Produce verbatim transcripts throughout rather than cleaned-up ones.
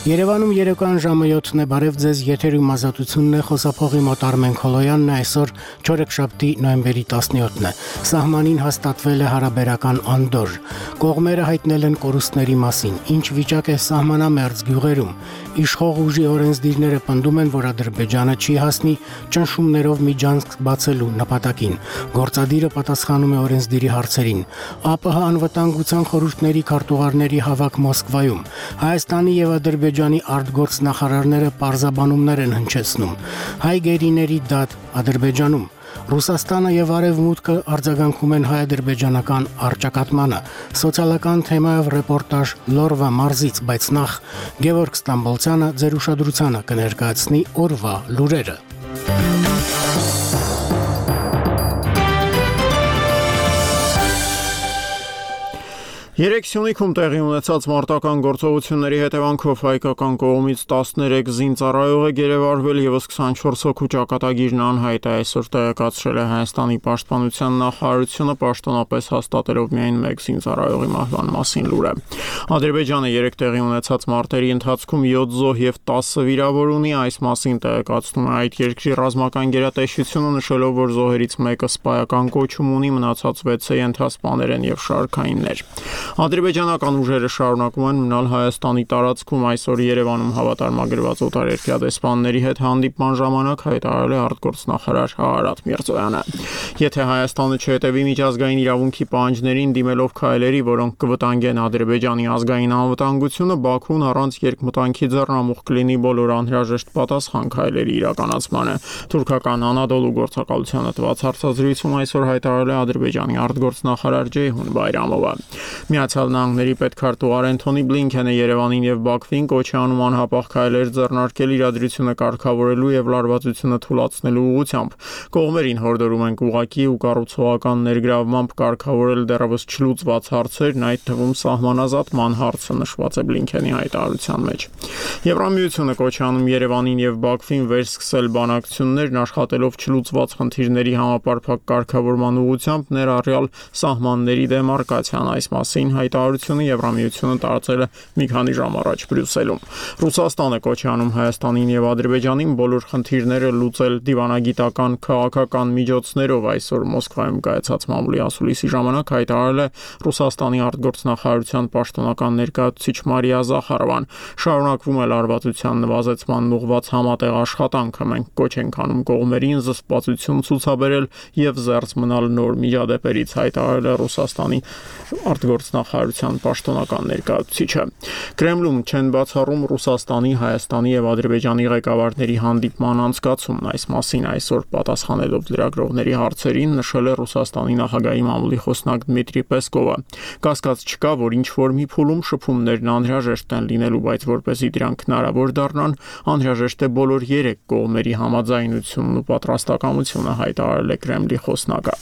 Երևանում երեկոյան ժամը յոթն է, բարև ձեզ, եթերում ազատությունն է, խոսափողի մոտ Արմեն Քոլոյանն է, այսօր չորեքշաբթի նոյեմբերի տասնյոթն է, սահմանին հաստատվել է հարաբերական անդոր, կողմերը հայտնել են կորուստների մասին, ինչ վիճակ է սահմանամերձ գյուղերում, իշխող ուժի օրենսդիրները պնդում են, որ Ադրբեջանը չի հասնի ճնշումներով միջանցք բացելու նպատակին, գործադիրը պատասխանում է օրենսդիրի հարցերին, ԱՊՀ անվտանգության խորհուրդների քարտուղարների հավաք Մոսկվայում, Հայաստանի եւ Ադրբեջանի արտգործնախարարները պարզաբանումներ են հնչեցնում, հայ գերիների դատ Ադրբեջանում, Ռուսաստանը եւ Արևմուտքը արձագանքում են հայ-ադրբեջանական առճակատմանը, սոցիալական թեմայով ռեպորտաժ Լորվա մարզից, բայց նախ Գևորգ Ստամբոլցյանը ձեր ուշադրությանը կներկայացնի օրվա լուրերը։ Երեկ Սյունիքում տեղի ունեցած մարտական գործողությունների հետևանքով հայկական կողմից տասներեք զինծառայող է գերեվարվել եւ քսանչորս հոգու ճակատագիրն անհայտ է, այսօր տեղեկացրել է Հայաստանի պաշտպանության նախարարությունը, պաշտոնապես հաստատելով միայն մեկ զինծառայողի մահվան մասին լուրը։ Ադրբեջանը երեկ տեղի ունեցած մարտերի ընթացքում յոթ զոհ եւ տասը վիրավոր ունի, այս մասին տեղեկացնում է այդ երկրի ռազմական գերատեսչությունը, նշելով, որ զոհերից մեկը սպայական կոչում ունի, մնացած վեցը ենթասպաներ են եւ շարքայիններ։ Ադրբեջանական ուժերը շարունակում են մնալ Հայաստանի տարածքում, այսօր Երևանում հավատարմագրված օտարերկրյա դեսպանների հետ հանդիպման ժամանակ հայտարարել է արտգործնախարար Արարատ Միրզոյանը։ Եթե Հայաստանը չհետևի միջազգային իրավունքի պահանջներին դիմելով քայլերի, որոնք կվտանգեն Ադրբեջանի ազգային անվտանգությունը, Բաքուն առանց երկմտանքի ձեռնամուխ կլինի բոլոր անհրաժեշտ պատասխան քայլերի իրականացմանը։ Թուրքական Անադոլու գործակալությանը տված հարցազրույցում այսօր հայտարարել է Ադրբեջանի արտգործնախարար Ջեյհուն Բայրամովը։ Միացյալ Նահանգների պետքարտուղար Էնթոնի Բլինքենը Երևանին եւ Բաքվին կոչ է անում անհապաղ քայլեր ձեռնարկել իրադրությունը կարգավորելու եւ լարվածությունը թույլատնելու ուղղությամբ։ Կողմերին հորդորում ենք ուղղակի ու կառուցողական ներգրավմամբ կարգավորել դեռևս չլուծված հարցերն, այդ թվում սահմանազատման հարցը, նշված է Բլինքենի հայտարարության մեջ։ Եվրամիությունը կոչ է անում Երևանին եւ Բաքվին վերսկսել բանակցություններն աշխատելով չլուծված խնդիրների համապարփակ կարգավորման ուղղությամբ, ներառյալ սահմանների դեմարկացիան, այս մասին հայտարարությունը Եվրամիությունը տարածել է մի քանի ժամ առաջ Բրյուսելում։ Ռուսաստանը կոչ է անում Հայաստանին եւ Ադրբեջանին բոլոր խնդիրները լուծել դիվանագիտական քաղաքական միջոցներով, այսօր Մոսկվայում կայացած մամուլի ասուլիսի ժամանակ հայտարարել է Ռուսաստանի արտգործնախարարության պաշտոնական ներկայացուցիչ Մարիա Զախարովան։ Շարունակվում է լարվածության նվազեցման ուղղված համատեղ աշխատանքը, մենք կոչ ենք անում կողմերին զսպվածություն ցուցաբերել եւ զերծ մնալ նոր միջադեպերից, հայտարարել է Ռուսաստանի արտգործնախարարության պաշտոնական ներկայացուցիչը։ Կրեմլում չեն բացառում Ռուսաստանի, Հայաստանի եւ Ադրբեջանի ղեկավարների հանդիպման անցկացումն, այս մասին այսօր պատասխանելով լրագրողների հարցերին նշել է Ռուսաստանի նախագահի մամուլի խոսնակ Դմիտրի Պեսկովը։ Կասկած չկա, որ ինչ որ մի փուլում շփումներն անհրաժեշտ են լինելու, բայց որպեսզի դրանք հնարավոր դառնան, անհրաժեշտ է բոլոր երեք կողմերի համաձայնությունն ու պատրաստակամությունը, հայտարարել է Կրեմլի խոսնակը։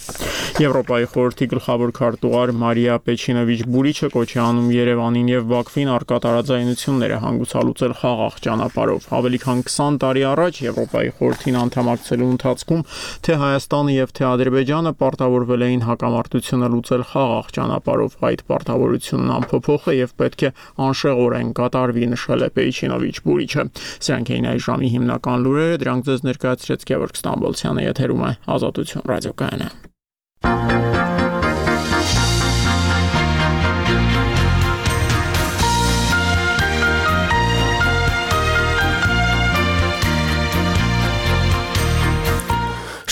Եվրոպայի խորհրդի գլխավոր քարտուղար Մարիա Պեչինովիչ Բուրիչը կոչ է անում Երևանին եւ Բաքվին առկա տարաձայնությունները հանգուցալուծել խաղաղ ճանապարհով։ Ավելի քան քսան տարի առաջ Եվրոպայի խորհրդին անդամակցելու ընթացքում թե Հայաստանը եւ թե Ադրբեջանը պարտավորվել էին հակամարտությունը լուծել խաղաղ ճանապարհով։ Այդ պարտավորությունն անփոփոխ է եւ պետք է անշեղորեն կատարվի, նշել է Պեչինովիչ Բուրիչը։ Սրանք էին այս ժամի հիմնական լուրերը, դրանք ձեզ ներկայացրեց Գևորգ Ստամբոլցյանը, եթերում է Ազատություն ռադիոկայանը։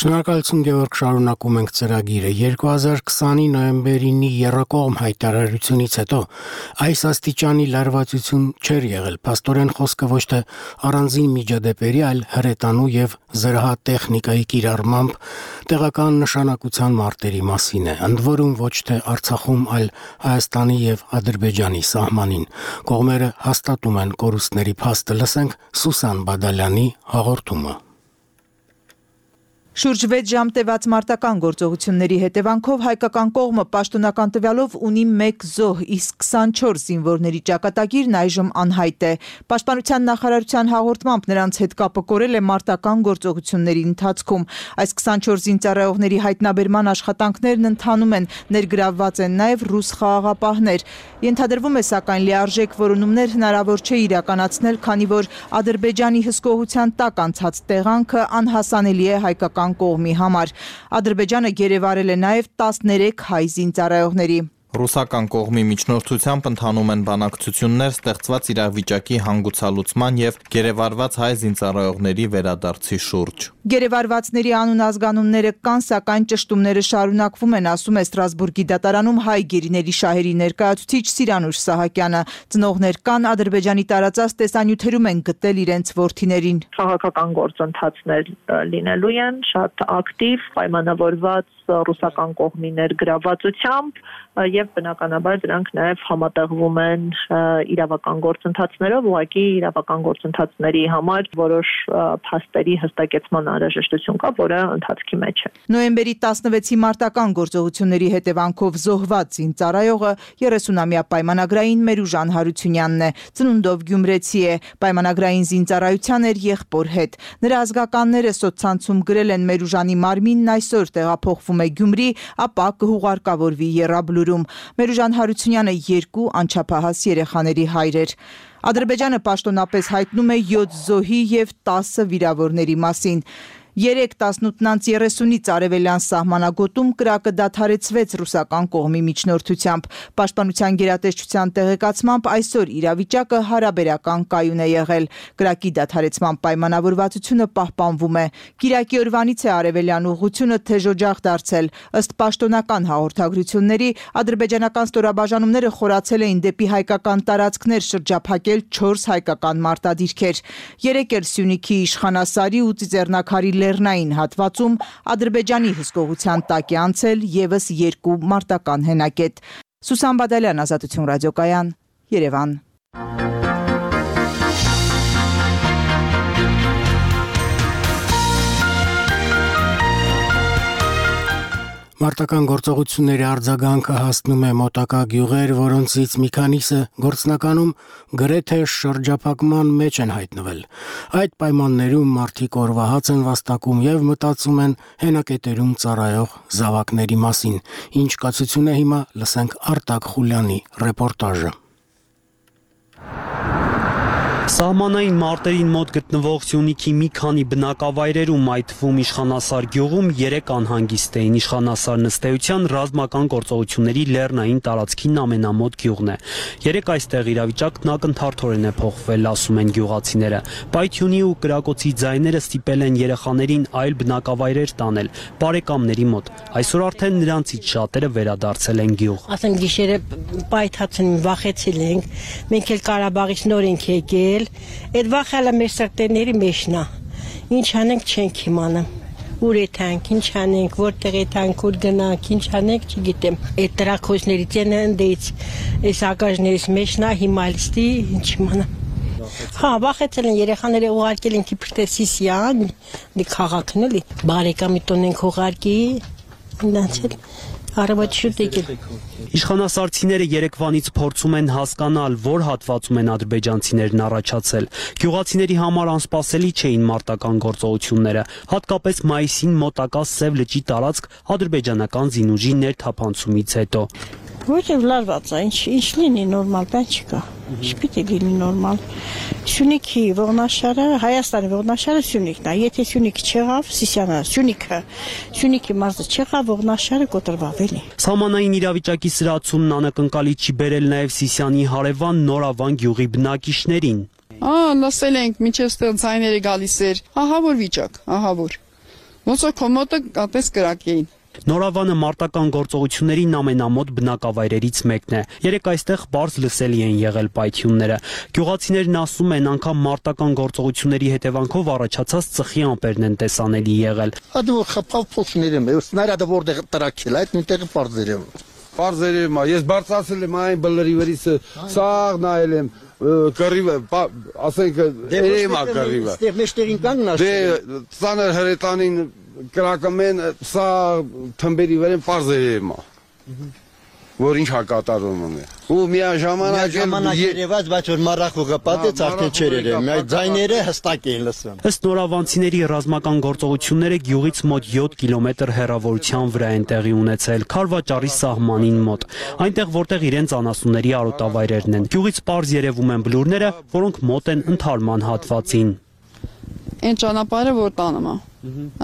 Շնորհակալություն Գևորգ, շարունակում ենք ծրագիրը։ երկու հազար քսանի նոյեմբերինի եռակողմ հայտարարությունից հետո այս աստիճանի լարվածություն չէր եղել։ Փաստորեն խոսքը ոչ թե առանձին միջադեպերի, այլ հրետանու եւ զրահատեխնիկայի կիրառմամբ տեղական նշանակության մարտերի մասին է։ Ընդ որում ոչ թե Արցախում, այլ Հայաստանի եւ Ադրբեջանի սահմանին։ Կողմերը հաստատում են կորուստների փաստը, լսենք Սուսան Բադալյանի հաղորդումը։ Շուրջ վեց ժամ տևած մարտական գործողությունների հետևանքով հայկական կողմը պաշտոնական տվյալով ունի մեկ զոհ, իսկ քսանչորս զինվորների ճակատագիրն այժմ անհայտ է։ Պաշտպանության նախարարության հաղորդմամբ նրանց հետ կապը կորել է մարտական գործողությունների ընթացքում։ Այս քսանչորս զինծառայողների հայտնաբերման աշխատանքներն ընթանում են, ներգրավված են նաև ռուս խաղաղապահներ։ Ենթադրվում է, սակայն լիարժեք որոնումներ հնարավոր չէ իրականացնել, քանի որ Ադրբեջանի հսկողության տակ անցած տեղանքը անհասանելի է հայկական կողմի համար։ Ադրբեջանը գերեվարել է նաև տասներեք հայ զինծառայողների։ Ռուսական կողմի միջնորդությամբ ընթանում են բանակցություններ ստեղծված իրավիճակի հանգուցալուծման եւ գերեվարված հայ զինծառայողների վերադարձի շուրջ։ Գերեվարվածների անուն ազգանունները կան, սակայն ճշտումները շարունակվում են, ասում է Ստրասբուրգի դատարանում հայ գերիների շահերի ներկայացուցիչ Սիրանուշ Սահակյանը։ Ծնողներ կան, Ադրբեջանի տարածած տեսանյութերում են գտել իրենց որդիներին։ Քաղաքական գործընթացներ լինելու են շատ ակտիվ, պայմանավորված ռուսական կողմի ներգրավվածությամբ եւ բնականաբար դրանք նաեւ համատեղվում են իրավական գործընթացներով, ուղղակի իրավական գործընթացների համար որոշ փաստերի հստակեցման անհրաժեշտություն կա, որը ընթացքի մեջ է։ Նոյեմբերի տասնվեցի մարտական գործողությունների հետևանքով զոհված զինծառայողը երեսունամյա պայմանագրային Մերուժան Հարությունյանն է, ծնունդով գյումրեցի է, պայմանագրային զինծառայության էր եղբոր հետ։ Նրա ազգականները սոցցանցում գրել են Մերուժանի մարմինն այսօր տեղափոխվում է Գյումրի, ապա կհուղարկավորվի Եռաբլուրում։ Մերուժան Հարությունյանը երկու անչափահաս երեխաների հայր էր։ Ադրբեջանը պաշտոնապես հայտնում է յոթ զոհի եւ տասը վիրավորների մասին։ Երեք տասնութ երեսունից արևելյան սահմանագոտում կրակը դադարեցվեց ռուսական կողմի միջնորդությամբ։ Պաշտպանության գերատեսչության տեղեկացմամբ այսօր իրավիճակը հարաբերական կայուն է եղել։ Կրակի դադարեցման պայմանավորվածությունը պահպանվում է։ Կիրակի օրվանից է արևելյան ուղղությունը թեժօջախ դարձել։ Ըստ պաշտոնական հաղորդագրությունների, ադրբեջանական ստորաբաժանումները խորացել էին դեպի հայկական տարածքներ շրջափակել չորս հայկական մարտադիրքեր։ Երեք էլ Սյունիքի Իշխանասարի ու Ծիծեռնակարի լեռնային հատվածում Ադրբեջանի հսկողության տակ է անցել ևս երկու մարտական հենակետ։ Սուսան Բադալյան, Ազատություն ռադիոկայան, Երևան։ Մարտական գործողությունների արձագանքը հասնում է մոտակա գյուղեր, որոնցից մի քանիսը գործնականում գրեթե շրջափակման մեջ են հայտնվել։ Այդ պայմաններում մարդիկ օրվահաց են վաստակում եւ մտածում են հենակետերում ծառայող զավակների մասին։ Ինչ կացություն է հիմա, լսենք Արտակ Խուլյանի ռեպորտաժը։ Սահմանային մարտերին մոտ գտնվող Սյունիքի մի քանի բնակավայրերում, այդ թվում Իշխանասար գյուղում երեք անհանգիստ էին։ Իշխանասար նստեյության ռազմական գործողությունների լեռնային տարածքին ամենամոտ գյուղն է։ Երեք այստեղ իրավիճակն ակնթարթորեն է փոխվել, ասում են գյուղացիները։ Պայթյունի ու կրակոցի ձայները ստիպել են երեխաներին այլ բնակավայրեր տանել, բարեկամների մոտ։ Այսօր արդեն նրանցից շատերը վերադարձել են գյուղ։ Ասեմ գիշերը պայթած են, վախեցել ենք։ Մենք էլ Ղարաբաղից նոր ենք եկել։ Այդ վախալը մեր սրտերների մեջն է։ Ինչ անենք չենք իմանում։ Ուր է տանք, ինչ անենք, որտեղ է տանք, ուր գնանք, ինչ անենք, չգիտեմ։ Այդ տրակոզների ցենը ընդից, այս ակաժներից մեջն է, հիմա լստի, ինչ իմանամ։ Հա, վախեցել են երեխաները ուղարկել են Կիպրտեսիսյան, դի քաղաքն էլի, բարեկամի տուն ենք ուղարկի, նացել։ Իշխանասարցիները երեկվանից փորձում են հասկանալ, որ հատվածում են ադրբեջանցիներն առաջացել։ Գյուղացիների համար անսպասելի չէին մարտական գործողությունները, հատկապես մայիսին մոտակա Սև լճի տարածք ադրբեջանական զինուժի ներթափանցումից հետո։ Ոչ էլ լարված է, ինչ ինչ լինի նորմալ, բան չկա։ Չպիտի լինի նորմալ։ Սյունիքի ողնաշարը, Հայաստանի ողնաշարը Սյունիքն է։ Եթե Սյունիքը չեղավ, Սիսյանը, Սյունիքը, Սյունիքի մարզը չեղավ, ողնաշարը կոտրվավ էլի։ Սահմանային իրավիճակի սրացումն անակնկալի չի բերել նաև Սիսյանի հարևան Նորավան գյուղի բնակիչներին։ Ա, լսել ենք, միջև ստեղ ձայները գալիս էր։ Ահա որ վիճակ, ահա որ։ Ոնց որ կոմոտը կատես կրակ էին։ Նորավանը մարտական գործողություններին ամենամոտ բնակավայրերից մեկն է։ Երեք այստեղ բարձ լսելի են եղել պայթյունները։ Գյուղացիներն ասում են, անգամ մարտական գործողությունների հետևանքով առաջացած ծխի ամպերն են տեսանելի եղել։ Ադու խփավ փոխները, սնարյադը որտեղ տրակել, այդ նույնտեղ բարձր է։ Բարձր է, ես բարձրացել եմ այն բլրի վրից, սաղ նայել եմ, կռիվը, ասենք երեմա կռիվը։ Ստեղ մեջտեղին կանգնած։ Դե ծանր հրետանին կրակում են սա թմբերի վրա պարզերում է։ Որ ինչ հակատարում է։ Ու միաժամանակ ժամանակ երևաց, բայց որ մառախուղը պատեց արդեն չէր երևում։ Այդ ձայները հստակ էին լսվում։ Ըստ նորավանցիների ռազմական գործողությունները գյուղից մոտ յոթ կիլոմետր հեռավորության վրա են տեղի ունեցել Քարվաճարի սահմանին մոտ, այնտեղ որտեղ իրենց անասունների արոտավայրերն են։ Գյուղից պարզ երևում են բլուրները, որոնք մոտ են ընդհարման հատվածին։ Այն ճանապարհը որ տանում է։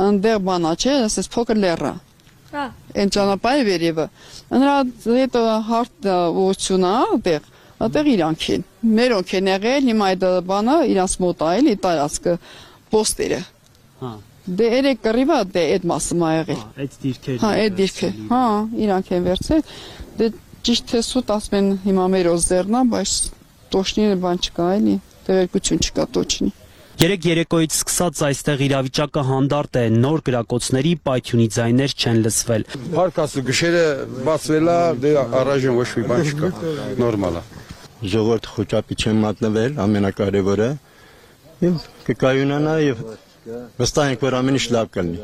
Այնտեղ բանա չէ, ասես փոքր լեռա։ Այն ճանապարհը վերևը։ Նրա հետ հարթ ուղղություն է, այդտեղ, այդտեղ իրանք են։ Մերոնք են եղել, հիմա այդ բանը իրանց մոտ է, էլի տարածքը, պոստերը։ Հա։ Դե երեք կռիվը դե այդ մասը մա եղել։ Այդ դիրքերը։ Հա, այդ դիրքը։ Հա, իրանք են վերցել։ Դե ճիշտ է սուտ ասում են հիմա մեր օզերնա, բայց տոշնի բան չկա, էլի։ Տեղեկություն չկա տոչնի։ Երեք երեկոյից սկսած այստեղ իրավիճակը հանդարտ է, նոր գրակոծների պայթյունի ձայներ չեն լսվել։ Փարկասը գշերը բացվելա, դե առայժմ ոչ մի բան չկա, նորմալ է։ Ժողովուրդ խոճապի չեն մատնվել, ամենակարևորը, եւ կկայունանա եւ վստահ ենք, որ ամեն ինչ լավ կլինի։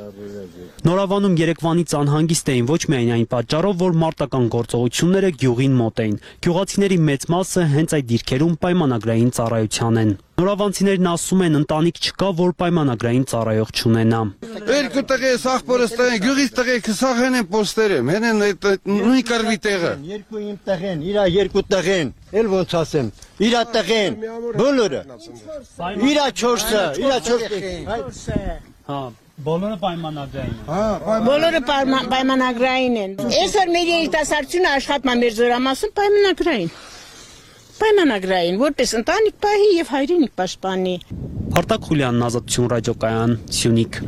Նորավանում երեկվանից անհանգիստ էին ոչ միայն այն պատճառով, որ մարտական գործողությունները գյուղին մոտ էին։ Գյուղացիների մեծ մասը հենց այդ դիրքերում պայմանագրային ծառայության են։ Նորավանցիներն ասում են, ընտանիք չկա, որ պայմանագրային ծառայող չունենա։ Երկու տղե սախպորս տղեն, գյուղից տղեքը սախեն են պոստերեմ, հեն են նույն կռվի տեղը։ Երկու իմ տղեն, իրա երկու տղեն, էլ ոնց ասեմ, իրա տղեն, բոլորը։ Իրա չորսը, իրա չորսը։ Հա, բոլորը պայմանագրային են։ Հա, բոլորը պայմանագրային են։ Այսօր մեր երիտասարդությունը աշխատում է մեր զորամասում պայմանագրային։ Պայմանագրային, որպես ընտանիք պահի եւ հայրենիք պաշտպանի։ Արտակ Խուլյանն, Ազատություն ռադիոկայան, Սյունիք։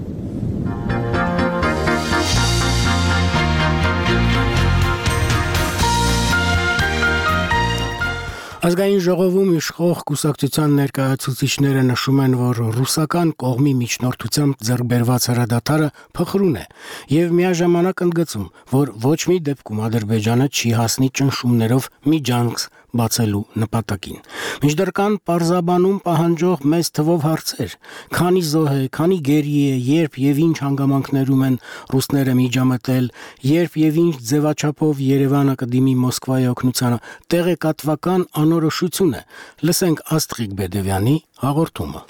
Ազգային ժողովում իշխող կուսակցության ներկայացուցիչները նշում են, որ ռուսական կողմի միջնորդությամբ ձեռք բերված հրադադարը փխրուն է եւ միաժամանակ ընդգծում, որ ոչ մի դեպքում Ադրբեջանը չի հասնի ճնշումներով միջանց բացելու նպատակին։ Մինչդեռ կան պարզաբանում պահանջող մեծ թվով հարցեր, քանի զոհ է, քանի գերի է, երբ եւ ինչ հանգամանքներում են ռուսները միջամտել, երբ եւ ինչ ձևաչափով Երևանը կդիմի Մոսկվայի օգնությանը, տեղեկատվական անորոշություն է։ Լսենք Աստղիկ Բեդևյանի հաղորդումը։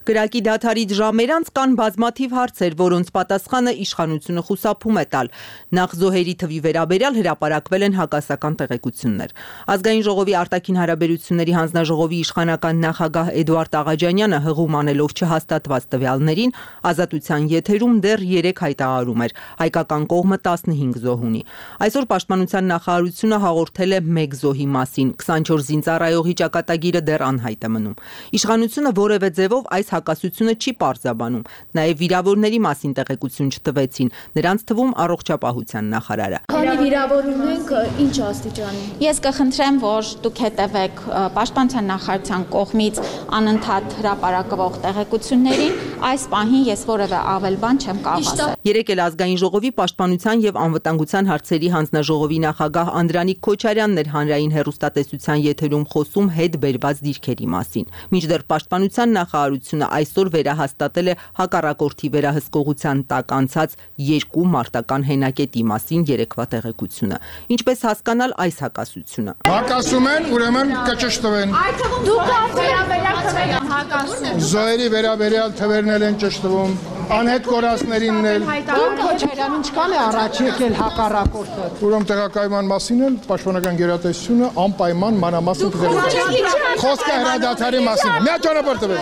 Կրակի դադարից ժամեր անց կան բազմաթիվ հարցեր, որոնց պատասխանը իշխանությունը խուսափում է տալ։ Նախ զոհերի թվի վերաբերյալ հրապարակվել են հակասական տեղեկություններ։ Ազգային ժողովի արտաքին հարաբերությունների հանձնաժողովի իշխանական նախագահ Էդուարդ Աղաջանյանը հղում անելով չհաստատված տվյալներին ազատության եթերում դեռ երեք հայտարարում էր, հայկական կողմը տասնհինգ զոհ ունի։ Այսօր պաշտպանության նախարարությունը հաղորդել է մեկ զոհի մասին, քսանչորս զինծառայողի ճակատագիրը դեռ անհայտ է մնում։ Իշխանությունը որևէ ձևով այս հակասությունը չի պարզաբանում, նաև վիրավորների մասին տեղեկություն չտվեցին, նրանց թվում առողջապահության նախարարը։ Քանի վիրավոր ունենք, ինչ աստիճանի։ Ես կխնդրեմ, որ դուք հետևեք պաշտպանության նախարարության կողմից անընդհատ հրապարակվող տեղեկություններին, այս պահին ես որևէ ավել բան չեմ կարող ասել։ Երեկ էլ ազգային ժողովի պաշտպանության եւ անվտանգության հարցերի հանձնաժողովի նախագահ Անդրանիկ Քոչարյանն էր հանրային հեռուստատեսության եթերում խոսում հետ բերված դիրքերի մասին։ Մինչդեռ պաշտպանության նախարարությունը այսօր վերահաստատել է հակառակորդի վերահսկողության տակ անցած երկու մարտական հենակետի մասին երեկվա տեղեկությունը։ Ինչպես հասկանալ այս հակասությունը։ Հակասում են, ուրեմն կճշտվեն։ Այդ թվում դուք վերաբերյալ թվեր են հակասում։ Զոհերի վերաբերյալ թվերն են ճշտվում, անհետ կորածներինն էլ։ Դուք Քոչարյան ինչքան է առաջ եկել հակառակորդը։ Ուրեմն տեղակայման մասին էլ պաշտպանական գերատեսչությունը անպայման մանրամասն կվերահսկի։ Խոսքը հրադադարի մասին։ Մի ճանապարհ տվեք։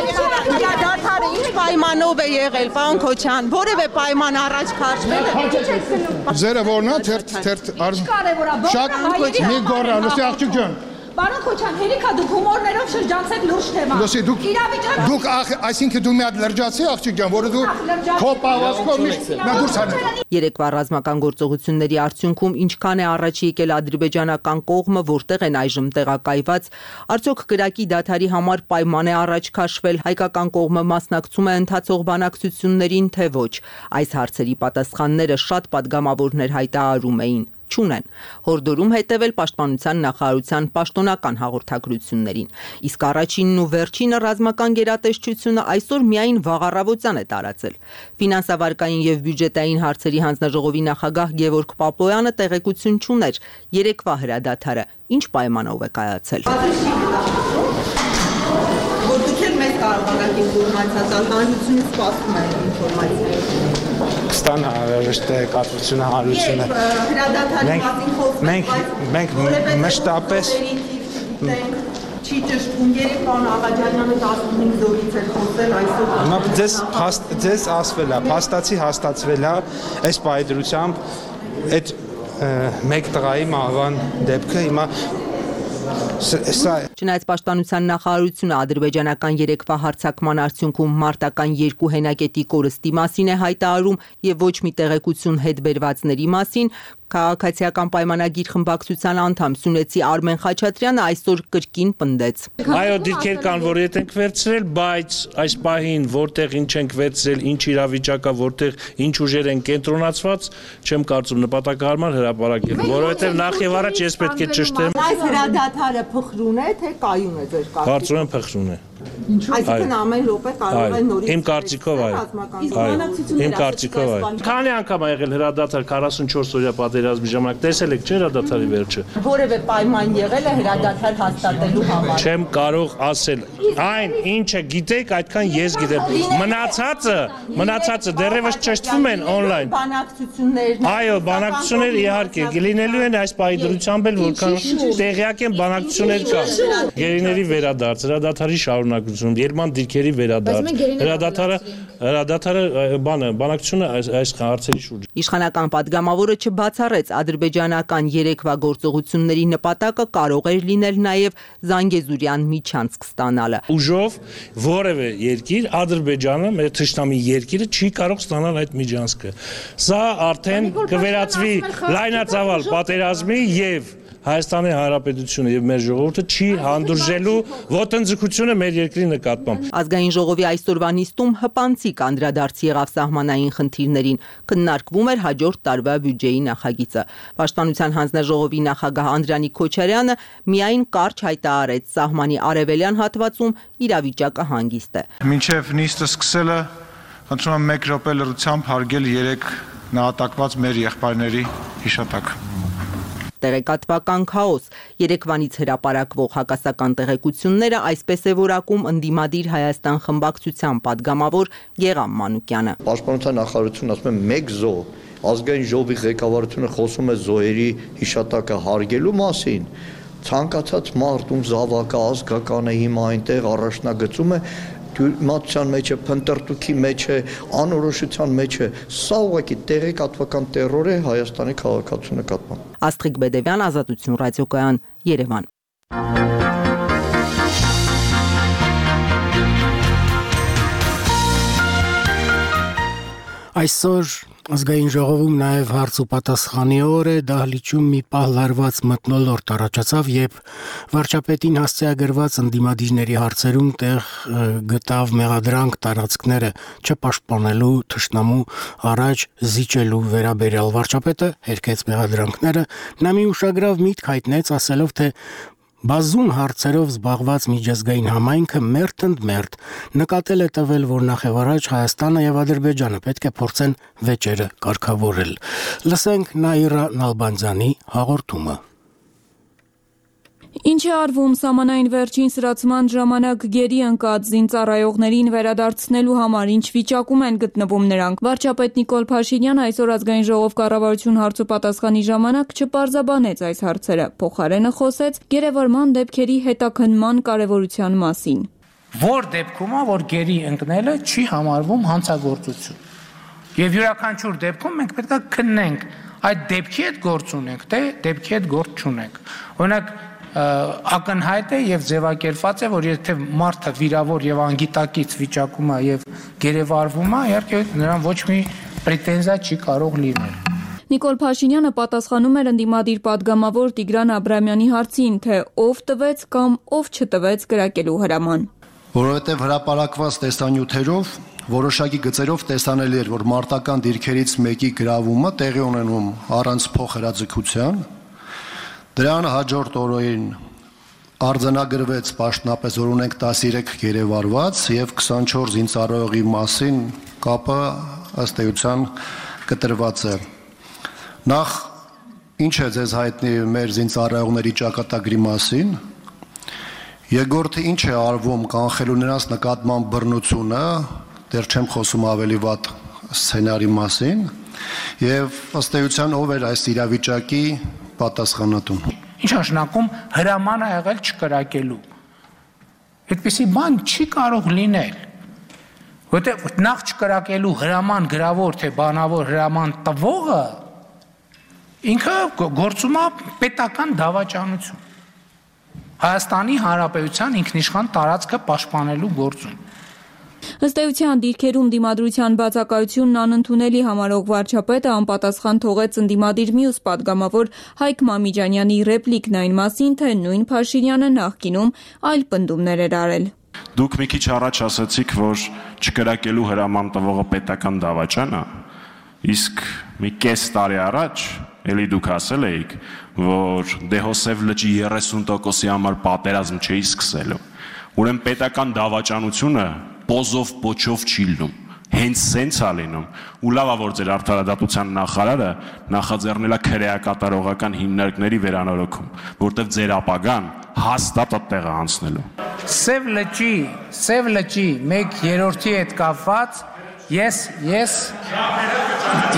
Հրադադարը ինչ պայմանով է եղել, պարոն Քոչարյան, որևէ պայման առաջ քաշվել է։ Ձերը որն է, թերթ թերթ արզ։ Շատ մի գոռա, լսի աղջիկ ջան։ Պարոն Քոչարյան, հերիքա դուք հումորներով շրջանցեք լուրջ թեմա։ Լսի, դուք դուք այսինքն դու մի հատ լրջացի աղջիկ ջան, որը դու քո պահվածքով միշտ նա դուրս հանես։ Երեկվա ռազմական գործողությունների արդյունքում ինչքան է առաջ եկել ադրբեջանական կողմը, որտեղ են այժմ տեղակայված, արդյոք կրակի դադարի համար պայման է առաջ քաշվել, հայկական կողմը մասնակցում է ընթացող բանակցություններին, թե ոչ։ Այս հարցերի պատասխանները շատ պատգամավորներ հայտարարում էին։ չունեն։ Հորդորում հետևել Պաշտպանության նախարարության պաշտոնական հաղորդագրություններին։ Իսկ առաջինն ու վերջինը ռազմական գերատեսչությունը այսօր միայն վաղ առավոտյան է տարածել։ Ֆինանսավարկային եւ բյուջետային հարցերի հանձնաժողովի նախագահ Գևորգ Պապոյանը տեղեկություն չուներ երեկվա հրադադարը ինչ պայմանով է կայացել։ Որ դուք էլ մեզ կարողանաք ինֆորմացիա տալ, հանրությունը սպասում է ինֆորմացիայի։ Ստան հավերժ տեղեկատվությունը հանրությունը։ Հրադադարի մասին խոսում ենք, մենք մշտապես չի ճշտում երեկոյան Աղաջանյանը տասնհինգ զորից էր խոսել այսօր։ Հիմա ձեզ ձեզ ասվել է, փաստացի հաստատվել է այս պայդրությամբ այդ մեկ տղայի մահվան դեպքը հիմա Չնայած Պաշտպանության նախարարությունը ադրբեջանական երեկվա հարձակման արդյունքում մարտական երկու հենակետի կորստի մասին է հայտարարում եւ ոչ մի տեղեկություն հետ բերվածների մասին, քաղաքացիական պայմանագիր խմբակցության անդամ Սյունեցի Արմեն Խաչատրյանը այսօր կրկին պնդեց։ Այո, դիրքեր կան, որ ետ ենք վերցրել, բայց այս պահին որտեղ ինչ ենք վերցրել, ինչ իրավիճակա, որտեղ ինչ ուժեր են կենտրոնացված, չեմ կարծում նպատակահարմար հրապարակել, որովհետեւ նախ եւ առաջ ես պետք է ճշտեմ։ Այս հրադադարը փխրուն է, թե կայուն է ձեր կարծիքով։ Կարծում եմ փխրուն է։ Այսինքն ամեն րոպե կարող է նորից։ Իմ կարծիքով այո։ Իմ կարծիքով այո։ Քանի անգամ ա եղել հրադադար քառասունչորս օրյա պատերազմի ժամանակ, տեսել եք չէ հրադադարի վերջը։ Որևէ պայման եղել է հրադադար հաստատելու համար։ Չեմ կարող ասել։ Այն ինչը գիտեք, այդքան ես գիտեմ։ Մնացածը, մնացածը դեռևս ճշտվում են on-line։ Բանակցություններն։ Այո, բանակցություններ իհարկե կլինելու են այս պայդրությամբ էլ, որքան տեղյակ են բանակցություններ կան։ Գերիների վերադարձ, հրադադարի շարունակություն, Երման դիրքերի վերադարձ, հրադադարը, հրադադարը բանը, բանակցությունը այս հարցերի շուրջ։ Իշխանական падգամավորը չբացառեց ադրբեջանական երեկվա գործողությունների նպատակը կարող էր լինել նաև Զանգեզուրյան միջանցք ստանալը։ Ուժով որևէ երկիր, Ադրբեջանը, մեր թշնամի երկիրը չի կարող ստանալ այդ միջանցքը։ Սա արդեն կվերածվի լայնածավալ պատերազմի եւ Հայաստանի Հանրապետությունը եւ մեր ժողովուրդը չի հանդուրժելու ոտնձգությունը մեր երկրի նկատմամբ։ Ազգային ժողովի այսօրվա նիստում հպանցիկ անդրադարձ եղավ սահմանային խնդիրներին, քննարկվում էր հաջորդ տարվա բյուջեի նախագիծը։ Պաշտպանության հանձնաժողովի նախագահ Անդրանիկ Քոչարյանը միայն կարճ հայտարարեց սահմանի արևելյան հատվածում իրավիճակը հանգիստ է։ Մինչև նիստը սկսելը խնդրում եմ մեկ րոպե լրությամբ հարգել երեք նահատակված մեր եղբայրների հիշատակ։ Տեղեկատվական քաոս երեկվանից հրապարակվող հակասական տեղեկությունները այսպես է որակում ընդդիմադիր Հայաստան խմբակցության падգամավոր Գեգամ Մանուկյանը։ Պաշտպանության նախարարությունը ասում է մեկ զոհ, ազգային ժողովի ղեկավարությունը խոսում է զոհերի հիշատակը հարգելու մասին։ Ցանկացած մարդ ում զավակը ազգական է հիմա այնտեղ առաջնագծում է մատության մեջ է, փնտրտուքի մեջ է, անորոշության մեջ է, սա ուղղակի տեղեկատվական տերոր է Հայաստանի քաղաքացու նկատմամբ։ Աստղիկ Բեդևյան, Ազատություն ռադիոկայան, Երևան։ Այսօր ազգային ժողովում նաև հարց ու պատասխանի օր է, դահլիճում մի պահ լարված մթնոլորտ առաջացավ, երբ վարչապետին հասցեագրված ընդդիմադիրների հարցերում տեղ գտավ մեղադրանք տարածքները չպաշտպանելու թշնամու առաջ զիջելու վերաբերյալ վարչապետը հերքեց մեղադրանքները, նա մի ուշագրավ միտք հայտնեց, ասելով, թե բազում հարցերով զբաղված միջազգային համայնքը մերթ ընդ մերթ նկատել է տվել, որ նախևառաջ Հայաստանը եւ Ադրբեջանը պետք է փորձեն վեճերը կարգավորել։ Լսենք Նաիրա Նալբանդյանի հաղորդումը։ Ինչ է արվում սահմանային վերջին սրացման ժամանակ գերի ընկած զինծառայողներին վերադարձնելու համար, ինչ վիճակում են գտնվում նրանք։ Վարչապետ Նիկոլ Փաշինյանը այսօր ազգային ժողով կառավարություն հարց ու պատասխանի ժամանակ չպարզաբանեց այս հարցերը, փոխարենը խոսեց գերեվարման դեպքերի հետաքննման կարևորության մասին։ Որ դեպքում, որ գերի ընկնելը չի համարվում հանցագործություն։ Եվ յուրաքանչյուր դեպքում մենք պետք է քննենք այդ դեպքի հետ գործ ունենք, թե դեպքի հետ գործ չունենք։ Օրինակ ակնհայտ է եւ ձևակերպված է, որ եթե մարդը վիրավոր եւ անգիտակից վիճակում է եւ գերեվարվում է, իհարկե նրան ոչ մի պրետենզիա չի կարող լինել։ Նիկոլ Փաշինյանը պատասխանում էր ընդդիմադիր падգամավոր Տիգրան Աբրամյանի հարցին, թե ով տվեց կամ ով չտվեց կրակելու հրաման։ Որովհետև հրապարակված տեսանյութերով որոշակի գծերով տեսանելի էր, որ մարտական դիրքերից մեկի գրավումը տեղի ունենում առանց փոխհրաձգության։ Դրան հաջորդ օրերին արձանագրվեց պաշտոնապես, որ ունենք տասներեք գերեվարված եւ քսանչորս զինծառայողի մասին կապը ըստ էության կտրված է։ Նախ ինչ է ձեզ հայտնի մեր զինծառայողների ճակատագրի մասին։ Երկրորդը ինչ է արվում կանխելու նրանց նկատմամբ բռնությունը, դեռ չեմ խոսում ավելի վատ սցենարի մասին, եւ ըստ էության ով էր այս իրավիճակի պատասխանատուն։ Ինչ նշանակում հրաման ա եղել չկրակելու։ Այդպիսի բան չի կարող լինել։ Որտեղ նախ չկրակելու հրաման գրավոր թե բանավոր հրաման տվողը ինքը գործում է պետական դավաճանություն։ Հայաստանի Հանրապետության ինքնիշխան տարածքը պաշտպանելու գործում։ Ըստ էության դիրքերում դիմադրության բացակայությունն անընդունելի համարող վարչապետը անպատասխան թողեց ընդդիմադիր մյուս պատգամավոր Հայկ Մամիջանյանի ռեպլիկն այն մասին, թե նույն Փաշինյանը նախկինում այլ պնդումներ էր արել։ Դուք մի քիչ առաջ ասացիք, որ չկրակելու հրաման տվողը պետական դավաճան է, իսկ մի կես տարի առաջ էլի դուք ասել էիք, որ Դեհոսև լճի երեսուն տոկոսի համար պատերազմ չէի սկսելու։ Ուրեմն պետական դավաճանությունը պոզով պոչով չի լինում, հենց սենց է լինում, ու լավ է, որ ձեր արդարադատության նախարարը նախաձեռնել է քրեակատարողական հիմնարկների վերանորոգում, որտեղ ձեր ապագան հաստատ այդտեղ է անցնելու։ Սև լճի, Սև լճի մեկ երրորդի հետ կապված ես ես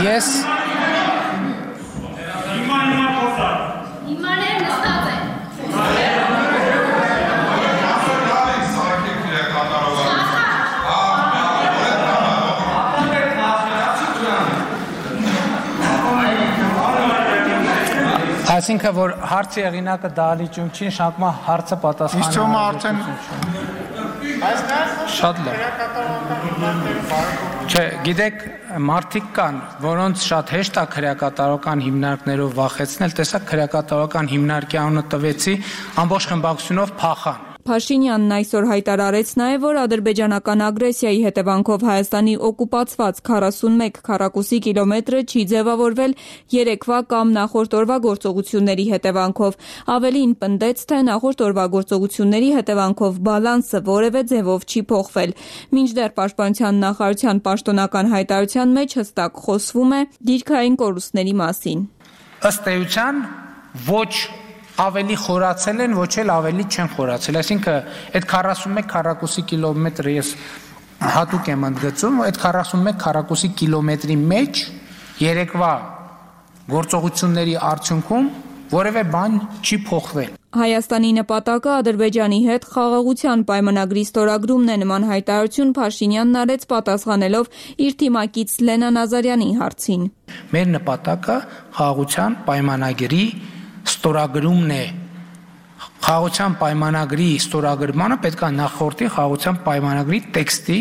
ես Այսինքն որ հարցի եղինակը դահլիճում չի, նշանակում է հարցը պատասխանը։ Իսկ ո՞ւմ արդեն շատ լավ։ Չէ, գիտեք, մարդիկ կան, որոնց շատ հեշտ է քրեակատարական հիմնարկներով վախեցնել, տեսակ քրեակատարական հիմնարկի անունը տվեցի, ամբողջ խմբակցությունով փախան։ Փաշինյանն այսօր հայտարարեց նաև, որ ադրբեջանական ագրեսիայի հետևանքով Հայաստանի օկուպացված քառասունմեկ քառակուսի կիլոմետրը չի ձևավորվել երեկվա կամ նախորդ օրվա գործողությունների հետևանքով։ Ավելին պնդեց, թե նախորդ օրվա գործողությունների հետևանքով բալանսը որևէ ձևով չի փոխվել։ Մինչդեռ Պաշտպանության նախարարության պաշտոնական հայտարարության մեջ հստակ խոսվում է դիրքային կորուստների մասին։ Ըստ էության ոչ ավելի խորացել են, ոչ էլ ավելի չեն խորացել, այսինքն այդ քառասունմեկ քառակուսի կիլոմետրը ես հատուկ եմ ընդգծում, այդ քառասունմեկ քառակուսի կիլոմետրի մեջ երեկվա գործողությունների արդյունքում որևէ բան չի փոխվել։ Հայաստանի նպատակը Ադրբեջանի հետ խաղաղության պայմանագրի ստորագրումն է, նման հայտարարություն Փաշինյանն արեց պատասխանելով իր թիմակից Լենա Նազարյանի հարցին։ Մեր նպատակը խաղաղության պայմանագրի ստորագրումն է։ Խաղաղության պայմանագրի ստորագրմանը պետք է նախորդի խաղաղության պայմանագրի տեքստի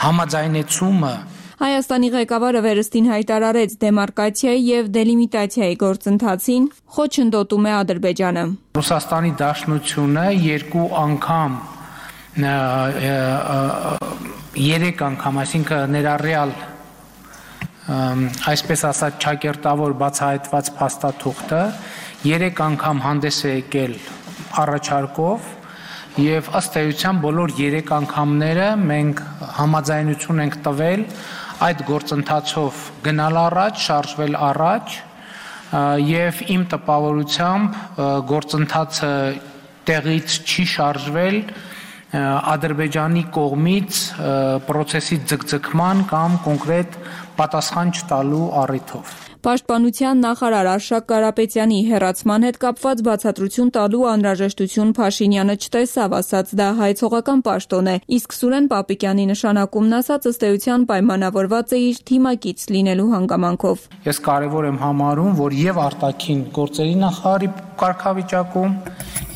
համաձայնեցումը։ Հայաստանի ղեկավարը վերստին հայտարարեց դեմարկացիայի եւ դելիմիտացիայի գործընթացին խոչընդոտում է Ադրբեջանը։ Ռուսաստանի Դաշնությունը երկու անգամ երեք անգամ, այսինքն ներառյալ այսպես ասած ճակերտավոր բացահայտված փաստաթուղթը երեք անգամ հանդես է եկել առաջարկով եւ ըստ էության բոլոր երեք անգամները մենք համաձայնություն ենք տվել այդ գործընթացով գնալ առաջ, շարժվել առաջ եւ իմ տպավորությամբ գործընթացը տեղից չի շարժվել Ադրբեջանի կողմից process-ի ձգձգման կամ կոնկրետ պատասխան չտալու առիթով։ Պաշտպանության նախարար Արշակ Կարապետյանի հերացման հետ կապված բացատրություն տալու անհրաժեշտություն Փաշինյանը չտեսավ, ասաց դա հայցողական պաշտոն է, իսկ Սուրեն Պապիկյանի նշանակումն ասաց ըստ էության պայմանավորված է իր թիմակից լինելու հանգամանքով։ Ես կարևոր եմ համարում, որ եւ արտաքին գործերի նախարարի կարգավիճակում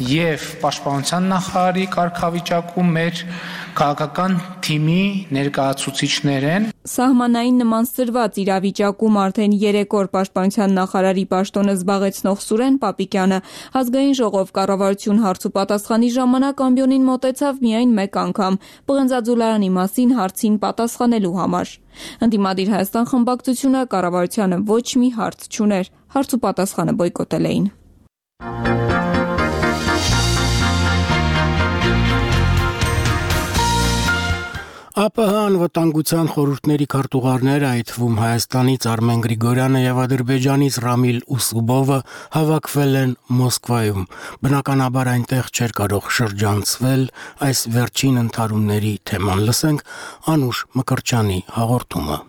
եւ պաշտպանության նախարարի կարգավիճակում մեր քաղաքական թիմի ներկայացուցիչներ են։ Սահմանային նման սրված իրավիճակում արդեն երեք օր պաշտպանության նախարարի պաշտոնը զբաղեցնող Սուրեն Պապիկյանը ազգային ժողով կառավարություն հարցու պատասխանի ժամանակ ամբիոնին մոտեցավ միայն մեկ անգամ՝ Պղնձաձուլարանի մասին հարցին պատասխանելու համար։ Ընդդիմադիր Հայաստան խմբակցությունը կառավարությանը ոչ մի հարց չուներ, հարց ու պատասխանը բոյկոտել էին։ ԱՊՀ անվտանգության խորհուրդների քարտուղարները, այդ թվում Հայաստանից Արմեն Գրիգորյանը եւ Ադրբեջանից Ռամիլ Ուսուբովը հավաքվել են Մոսկվայում։ Բնականաբար այնտեղ չէր կարող շրջանցվել այս վերջին ընդհարումների թեման։ Լսենք Անուշ Մկրտչյանի հաղորդումը։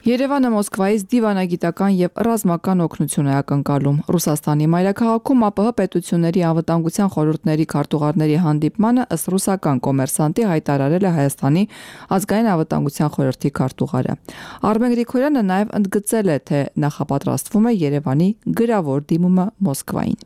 Երևանը Մոսկվայից դիվանագիտական եւ ռազմական օգնություն է ակնկալում։ Ռուսաստանի մայրաքաղաքում ԱՊՀ պետությունների անվտանգության խորհուրդների քարտուղարների հանդիպմանը ըստ ռուսական կոմերսանտի հայտարարել է Հայաստանի ազգային անվտանգության խորհրդի քարտուղարը։ Արմեն Գրիգորյանը նաեւ ընդգծել է, թե նախապատրաստվում է Երևանի գրավոր դիմումը Մոսկվային։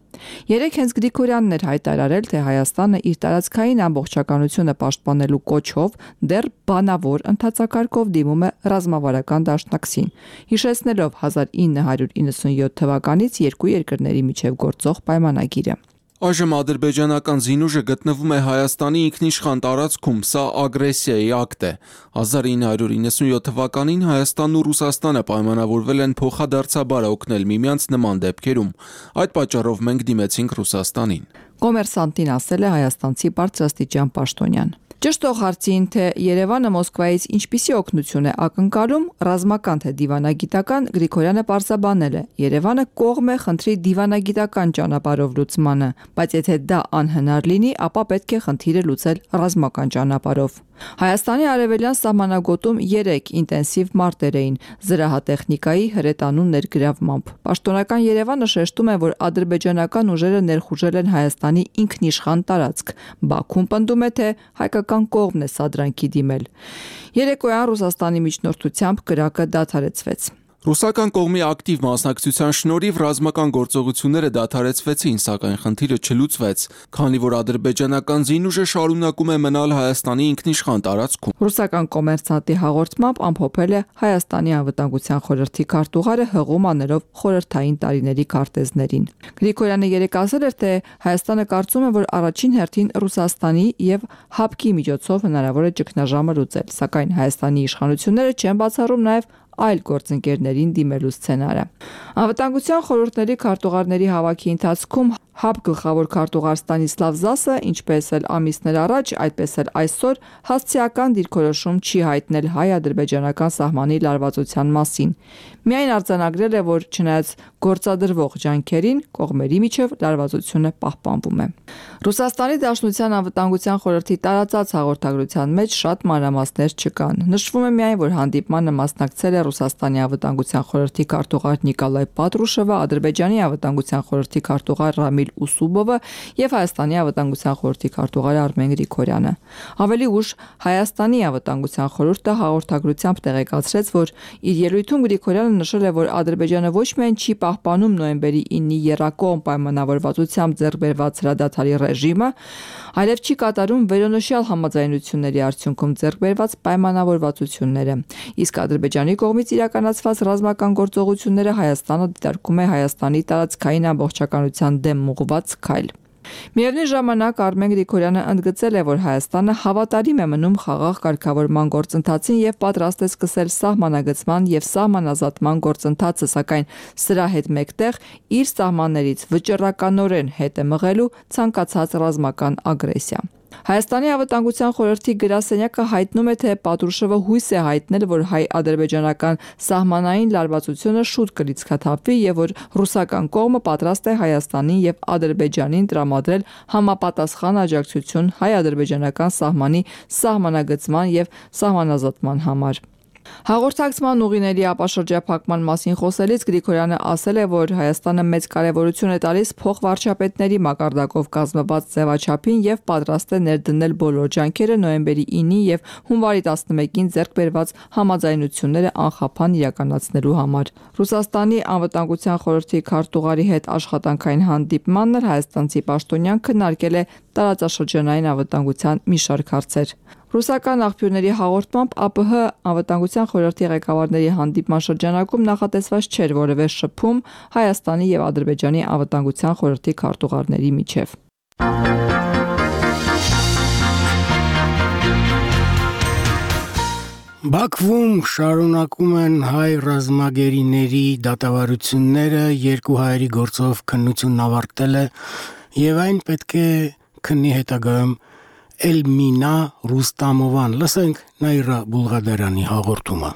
Երեք հենց Գրիգորյանն էր հայտարարել, թե Հայաստանը իր տարածքային ամբողջականությունը պաշտպանելու կոչով դեռ բանավոր ընթացակարգով դիմում է ռազմավարական դաշնակցին, հիշեցնելով հազար ինը հարյուր իննսունյոթ թվականից երկու երկրների միջև գործող պայմանագիրը։ Այժմ ադրբեջանական զինուժը գտնվում է Հայաստանի ինքնիշխան տարածքում, սա ագրեսիայի ակտ է։ հազար ինը հարյուր իննսունյոթ թվականին Հայաստանն ու Ռուսաստանը պայմանավորվել են փոխադարձաբար օգնել միմյանց նման դեպքերում։ Այդ պատճառով մենք դիմեցինք Ռուսաստանին։ Կոմերսանտին ասել է հայաստանցի բարձրաստիճան պաշտոնյան։ Ճշտող հարցին, թե Երևանը Մոսկվայից ինչպիսի օգնություն է ակնկալում, ռազմական թե դիվանագիտական, Գրիգորյանը պարզաբանել է. Երևանը կողմ է խնդրի դիվանագիտական ճանապարհով լուծմանը, բայց եթե դա անհնար լինի, ապա պետք է խնդիրը լուծել ռազմական ճանապարհով։ Հայաստանի արևելյան սահմանագոտում երեք ինտենսիվ մարտեր էին զրահատեխնիկայի հրետանու ներգրավմամբ։ Պաշտոնական Երևանը շեշտում է, որ ադրբեջանական ուժերը ներխուժել են Հայաստանի ինքնիշխան տարածք։ Բաքուն պնդում է, թե հայկական կողմն է սադրանքի դիմել։ Երեկոյան Ռուսաստանի միջնորդությամբ կրակը դադարեցվեց։ Ռուսական կողմի ակտիվ մասնակցության շնորհիվ ռազմական գործողությունները դադարեցվեցին, սակայն խնդիրը չլուծվեց, քանի որ ադրբեջանական զինուժը շարունակում է մնալ Հայաստանի ինքնիշխան տարածքում։ Ռուսական կոմերսանտի հաղորդմամբ ամփոփել է Հայաստանի անվտանգության խորհրդի քարտուղարը հղում աներով խորհրդային տարիների քարտեզներին։ Գրիգորյանը երեկ ասել էր, թե Հայաստանը կարծում է, որ առաջին հերթին Ռուսաստանի եւ ՀԱՊԿ-ի միջոցով հնարավոր է ճգնաժամը լուծել, սակայն Հայաստանի իշխանությունները չեն բացառում նաեւ այլ գործընկերներին դիմելու սցենարը։ Անվտանգության խորհուրդների քարտուղարների հավաքի ընթացքում ՀԱՊԿ գլխավոր քարտուղար Ստանիսլավ Զասը, ինչպես էլ ամիսներ առաջ, այդպես էլ այսօր հասցեական դիրքորոշում չի հայտնել հայ-ադրբեջանական սահմանի լարվածության մասին։ Միայն արձանագրել է, որ չնայած գործադրվող ջանքերին, կողմերի միջև լարվածությունը պահպանվում է։ Ռուսաստանի Դաշնության անվտանգության խորհրդի տարածած հաղորդագրության մեջ շատ մանրամասներ չկան։ Նշվում է միայն, որ հանդիպմանը մասնակցել է Ռուսաստանի անվտանգության խորհրդի քարտուղար Նիկոլայ Պատրուշովը, Ադրբեջանի անվտանգության խորհրդի քարտուղար Ռամիլ Ուսուբովը եւ Հայաստանի անվտանգության խորհրդի քարտուղար Արմեն Գրիգորյանը։ Ավելի ուշ Հայաստանի անվտանգության խորհուրդը հաղորդագրությամբ տեղեկացրեց, որ իր ելույթում Գրիգորյանը նշել է, որ Ադրբեջանը ոչ միայն չի պահպանում նոյեմբերի իննի եռակողմ պայմանավորվածությամբ ձեռք բերված հրադադարի ռեժիմը, այլև չի կատարում վերոնշյալ համաձայնությունների արդյունքում ձեռք բերված պայմանավորվածությունները։ Իսկ Ադրբեջանի կողմից իրականացված ռազմական գործողությունները Հայաստանը դիտարկում է Հայաստանի տարածքային ամբողջականության դեմ ուղղված քայլ։ Միևնույն ժամանակ Արմեն Գրիգորյանը ընդգծել է, որ Հայաստանը հավատարիմ է մնում խաղաղ կարգավորման գործընթացին եւ պատրաստ է սկսել սահմանագծման եւ սահմանազատման գործընթացը, սակայն սրա հետ մեկտեղ իր սահմաններից վճռականորեն հետ է մղելու ցանկացած ռազմական ագրեսիա։ Հայաստանի անվտանգության խորհրդի գրասենյակը հայտնում է, թե Պատրուշովը հույս է հայտնել, որ հայ-ադրբեջանական սահմանային լարվածությունը շուտ կլիցքաթափվի եւ որ ռուսական կողմը պատրաստ է Հայաստանին եւ Ադրբեջանին տրամադրել համապատասխան աջակցություն հայ-ադրբեջանական սահմանի սահմանագծման եւ սահմանազատման համար։ Հաղորդակցման ուղիների ապաշրջափակման մասին խոսելիս Գրիգորյանը ասել է, որ Հայաստանը մեծ կարևորություն է տալիս փոխվարչապետների մակարդակով կազմված ձևաչափին եւ պատրաստ է ներդնել բոլոր ջանքերը նոյեմբերի ինը եւ հունվարի տասնմեկին ձեռք բերված համաձայնությունները անխափան իրականացնելու համար։ Ռուսաստանի անվտանգության խորհրդի քարտուղարի հետ աշխատանքային հանդիպմանն էլ հայաստանցի պաշտոնյան քննարկել է տարածաշրջանային անվտանգության մի շարք հարցեր։ Ռուսական աղբյուրների հաղորդմամբ ԱՊՀ անվտանգության խորհրդի ղեկավարների հանդիպման շրջանակում նախատեսված չէր որևէ շփում Հայաստանի եւ Ադրբեջանի անվտանգության խորհրդի քարտուղարների միջև։ Բաքվում շարունակում են հայ ռազմագերիների դատավարությունները, երկու հայերի գործով քննությունն ավարտել է եւ այն պետք է քննի հետագայում Էլմինա Ռուստամովան, լսենք Նաիրա Բուլղադարյանի հաղորդումը։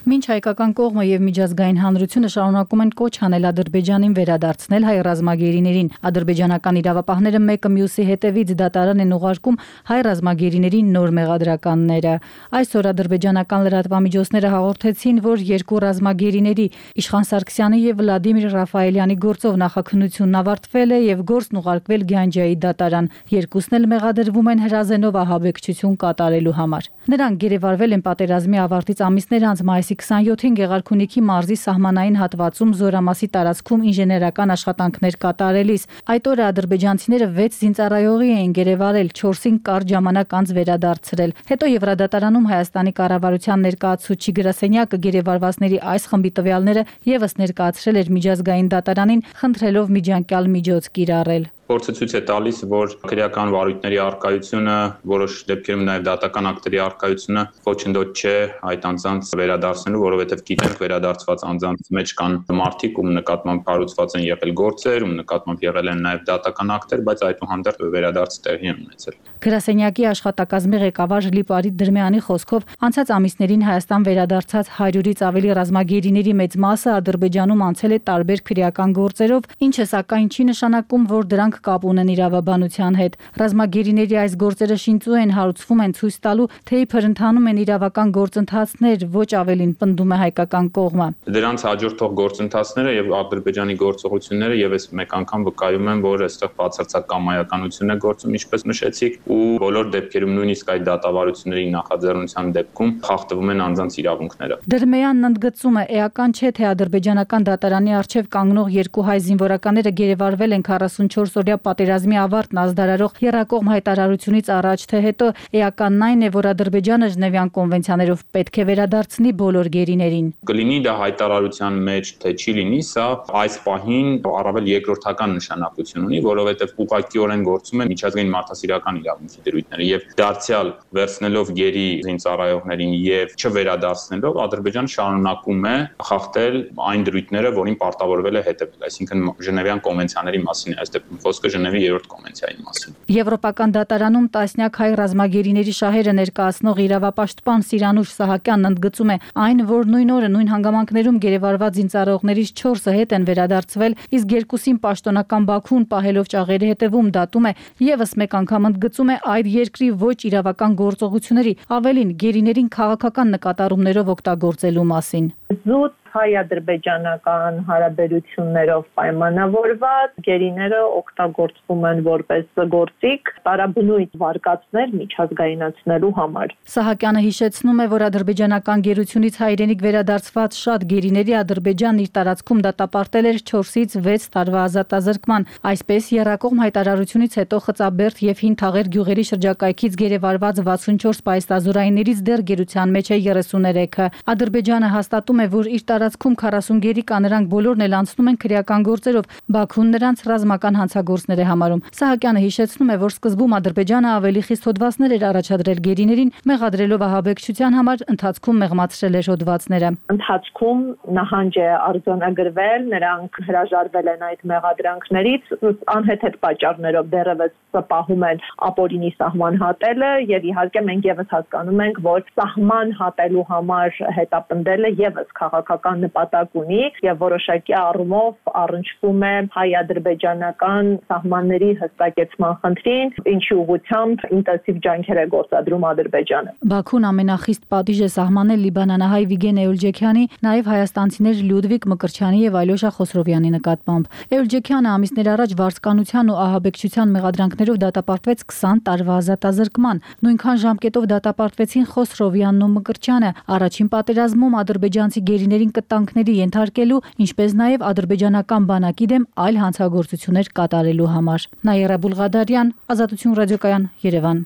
Մինչ հայկական կողմը եւ միջազգային հանրությունը շարունակում են կոչ անել Ադրբեջանին վերադարձնել հայ ռազմագերիներին, ադրբեջանական իրավապահները մեկը մյուսի հետևից դատարան են ուղարկում հայ ռազմագերիների նոր մեղադրականները։ Այսօր ադրբեջանական լրատվամիջոցները հաղորդեցին, որ երկու ռազմագերիների Իշխան Սարգսյանի եւ Վլադիմիր Ռաֆայելյանի գործով նախաքննությունն ավարտվել է եւ գործն ուղարկվել Գյանջիայի դատարան։ Երկուսն էլ մեղադրվում են հրազենով ահաբեկչություն կատարելու համար։ Նրանք գերեվարվել են պատերազմի ավարտից ամիսներ անց մայիսի քսաներկուին Գեղարքունիքի մարզի սահմանային հատվածում Զորամասի տարածքում ինժեներական աշխատանքներ կատարելիս։ Այդ օրը ադրբեջանցիները վեց զինծառայողի էին գերեվարել, չորսին կարճ ժամանակ անց վերադարձրել։ Հետո Եվրադատարանում Հայաստանի կառավարության ներկայացուցիչ գրասենյակը գերեվարվածների այս խմբի տվյալները եւս ներկայացրել էր միջազգային դատարանին, խնդրելով միջանկյալ միջոց կիրառել։ Փորձը ցույց է տալիս, որ քրեական վարույթների առկայությունը, որոշ դեպքերում նաև դատական ակտերի առկայությունը խոչընդոտ չէ այդ անձանց վերադարձնելու, որովհետև գիտենք վերադարձված անձանց մեջ կան մարդիկ, ում նկատմամբ հարուցված են եղել գործեր, ում նկատմամբ եղել են նաև դատական ակտեր, բայց այդուհանդերձ վերադարձ տեղի են ունեցել։ Գրասենյակի աշխատակազմի ղեկավար Լիպարիտ Դրմյանի խոսքով անցած ամիսներին Հայաստան վերադարձած հարյուրից ավելի ռազմագերիների մեծ մասը Ադրբեջանում անցել է տարբեր քրեական գործերով, ինչը սակայն չի նշանակում, որ դրանք կապ ունեն իրավաբանության հետ։ Ռազմագերիների այս գործերը շինծու են, հարուցվում են ցույց տալու, թե իբր ընթանում են իրավական գործընթացներ, ոչ ավելին, պնդում է հայկական կողմը։ Դրանց հաջորդող գործընթացները եւ Ադրբեջանի գործողությունները եւս մեկ անգամ վկայում են, որ այստեղ բացարձակ կամայականություն է գործում, ինչպես նշեցիք, ու բոլոր դեպքերում նույնիսկ այդ դատավարությունների նախաձեռնության դեպքում խախտվում են անձանց իրավունքները։ Դրմեյանն ընդգծում է, էական չէ, թե ադրբեջանական դատարանի առջև կանգնող երկու հայ զինվորականները գերեվարվել են քառասունչորս օրյա պատերազմի ավարտն ազդարարող եռակողմ հայտարարությունից առաջ թե հետո, էականն այն է, որ Ադրբեջանը Ժնևյան կոնվենցիաներով պետք է վերադարձնի բոլոր գերիներին։ Կլինի դա հայտարարության մեջ, թե չի լինի, սա այս պահին առավել երկրորդական նշանակություն ունի, որովհետև ուղղակիորեն գործում են միջազգային մարդասիրական իրավունքի դրույթները եւ դարձյալ վերցնելով գերի զինծառայողներին եւ չվերադարձնելով Ադրբեջանը շարունակում է խախտել այն դրույթները, որին պարտավորվել է հետևել, այսինքն Ժնևյան կոնվենցիաների մասին է, այս դեպքում խոսքը Ժնևի երրորդ կոնվենցիայի մասին։ Եվրոպական դատարանում տասնյակ հայ ռազմագերիների շահերը ներկայացնող իրավապաշտպան Սիրանուշ Սահակյանն ընդգծում է այն, որ նույն օրը նույն հանգամանքներում գերեվարված զինծառայողներից չորսը հետ են վերադարձվել, իսկ երկուսին պաշտոնական Բաքուն պահելով ճաղերի հետևում դատում է եւս մեկ անգամ ընդգծում է այդ երկրի ոչ իրավական գործողությունների, ավելին գերիներին քաղաքական նկատառումներով օգտագործելու մասին։ Զուտ հայ-ադրբեջանական հարաբերություններով պայմանավորված գերիները օգտագործվում են որպես գործիք տարաբնույթ վարկածներ միջազգայնացնելու համար։ Սահակյանը հիշեցնում է, որ ադրբեջանական գերությունից հայրենիք վերադարձված շատ գերիների Ադրբեջանն իր տարածքում դատապարտել էր չորսից վեց տարվա ազատազրկման։ Այսպես եռակողմ հայտարարությունից հետո Խծաբերդ եւ Հին Թաղեր գյուղերի շրջակայքից գերեվարված վաթսունչորս պայստազորայիններից դեռ գերության մեջ է երեսուներեքը։ Ադրբեջանը հաստատում է, որ իր տարածքում քառասուն գերի կա, նրանք բոլորն էլ անցնում են քրեական գործերով, Բաքուն նրանց ռազմական հանցագործներ է համարում։ Սահակյանը հիշեցնում է, որ սկզբում Ադրբեջանը ավելի խիստ հոդվածներ էր առաջադրել գերիներին, մեղադրելով ահաբեկչության համար, ընթացքում մեղմացրել էր հոդվածները։ Ընթացքում նահանջ է արձանագրվել, նրանք հրաժարվել են այդ մեղադրանքներից, անհեթեթ պատճառներով դեռևս պահում են ապօրինի սահման հատելը եւ իհարկե մենք եւս հասկանում ենք, որ սահման հատելու համար հետապնդելը եւս քաղաքական բան նպատակ ունի եւ որոշակի առումով առնչվում է հայ-ադրբեջանական սահմանների հստակեցման խնդրին, ինչի ուղղությամբ ինտենսիվ ջանքեր է գործադրում Ադրբեջանը։ Բաքուն ամենախիստ պատիժ է սահմանել լիբանանահայ Վիգեն Էուլջեքյանի, նաև հայաստանցիներ Լյուդվիգ Մկրտչյանի եւ Այլոշա Խոսրովյանի նկատմամբ։ Էուլջեքյանը ամիսներ առաջ վարձկանության ու ահաբեկչության մեղադրանքներով դատապարտվեց քսան տարվա ազատազրկման։ Նույնքան ժամկետով դատապարտվեցին Խոսրովյանն ու Մկրտչյանը առաջին պատերազմում ադրբեջանցի գերիներին կտանքների ենթարկելու, ինչպես նաև ադրբեջանական բանակի դեմ այլ հանցագործություններ կատարելու համար։ Նաիրա Բուլղադարյան, Ազատություն ռադիոկայան, Երևան։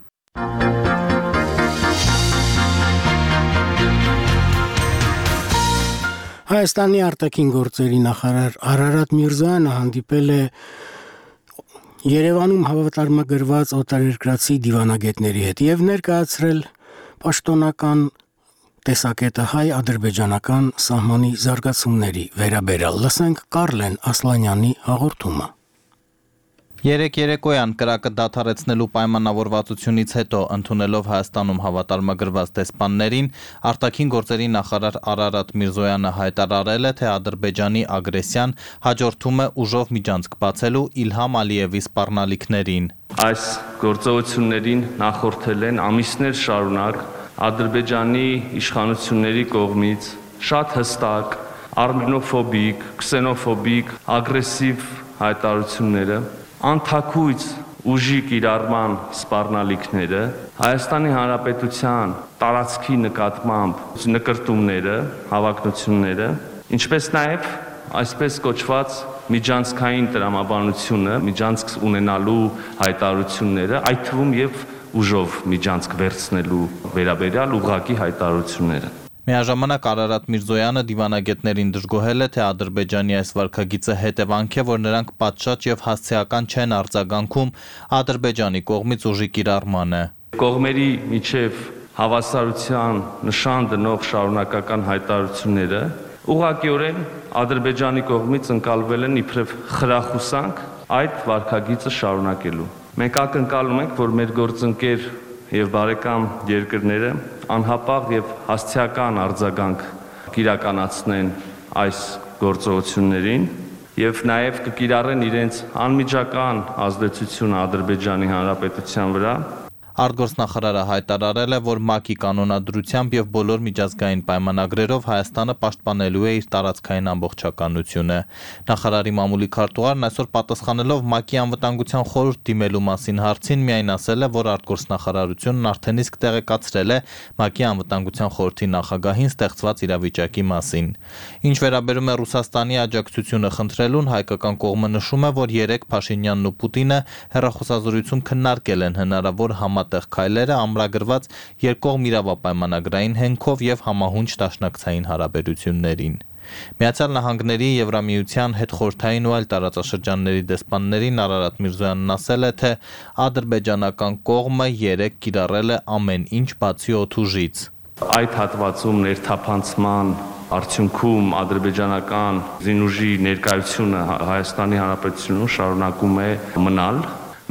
Հայաստանի արտաքին գործերի նախարար Արարատ Միրզոյանը հանդիպել է Երևանում հավատարմագրված օտարերկրացի դիվանագետների հետ եւ ներկայացրել պաշտոնական տեսակետը հայ-ադրբեջանական սահմանի զարգացումների վերաբերյալ։ Լսենք Կարլեն Ասլանյանի հաղորդումը։ Երեք երեկոյան կրակը դադարեցնելու պայմանավորվածությունից հետո ընդունելով Հայաստանում հավատարմագրված դեսպաններին, արտաքին գործերի նախարար Արարատ Միրզոյանը հայտարարել է, թե Ադրբեջանի ագրեսիան հաջորդում է ուժով միջանցք բացելու Իլհամ Ալիևի սպառնալիքներին։ Այս գործողություններին նախորդել են ամիսներ շարունակ Ադրբեջանի իշխանությունների կողմից շատ հստակ, արմենոֆոբիկ, քսենոֆոբիկ, ագրեսիվ հայտարարությունները, անթաքույց ուժի կիրառման սպառնալիքները, Հայաստանի Հանրապետության տարածքի նկատմամբ նկրտումները, հավակնությունները, ինչպես նաև այսպես կոչված միջանցքային տրամաբանությունը, միջանցք ունենալու հայտարարությունները, այդ թվում եւ ուժով միջանցք վերցնելու վերաբերյալ ուղղակի հայտարարությունները։ Միաժամանակ Արարատ Միրզոյանը դիվանագետներին դժգոհել է, թե Ադրբեջանի այս վարքագիծը հետևանք է, որ նրանք պատշաճ եւ հասցեական չեն արձագանքում Ադրբեջանի կողմից ուժի կիրառմանը։ Կողմերի միջև հավասարության նշան դնող շարունակական հայտարարությունները ուղղակիորեն Ադրբեջանի կողմից ընկալվել են իբրև խրախուսանք այդ վարքագիծը շարունակելու։ Մենք ակնկալում ենք, որ մեր գործընկեր եւ բարեկամ երկրները անհապաղ եւ հասցեական արձագանք կիրականացնեն այս գործողություններին եւ նաեւ կկիրառեն իրենց անմիջական ազդեցությունը Ադրբեջանի Հանրապետության վրա։ Արտգործնախարարը հայտարարել է, որ ՄԱԿ-ի կանոնադրությամբ եւ բոլոր միջազգային պայմանագրերով Հայաստանը պաշտպանելու է իր տարածքային ամբողջականությունը։ Նախարարի մամուլի քարտուղարն այսօր պատասխանելով ՄԱԿ-ի անվտանգության խորհուրդ դիմելու մասին հարցին միայն ասել է, որ արտգործնախարարությունն արդեն իսկ տեղեկացրել է ՄԱԿ-ի անվտանգության խորհրդի նախագահին ստեղծված իրավիճակի մասին։ Ինչ վերաբերում է Ռուսաստանի աջակցությունը խնդրելուն, հայկական կողմը նշում է, որ երեք Փաշինյանն ու Պուտինը հեռախոսազրույցում քննարկել են հնարավոր համատեղ քայլերը ամրագրված երկկողմ իրավապայմանագրային հենքով եւ համահունչ դաշնակցային հարաբերություններին։ Միացյալ Նահանգների, Եվրամիության, հետխորհրդային ու այլ տարածաշրջանների դեսպաններին Արարատ Միրզոյանն ասել է, թե ադրբեջանական կողմը երեք կիրառել է ամեն ինչ բացի օդուժից։ Այդ հատվածում ներթափանցման արդյունքում ադրբեջանական զինուժի ներկայությունը Հայաստանի Հանրապետությունում շարունակում է մնալ։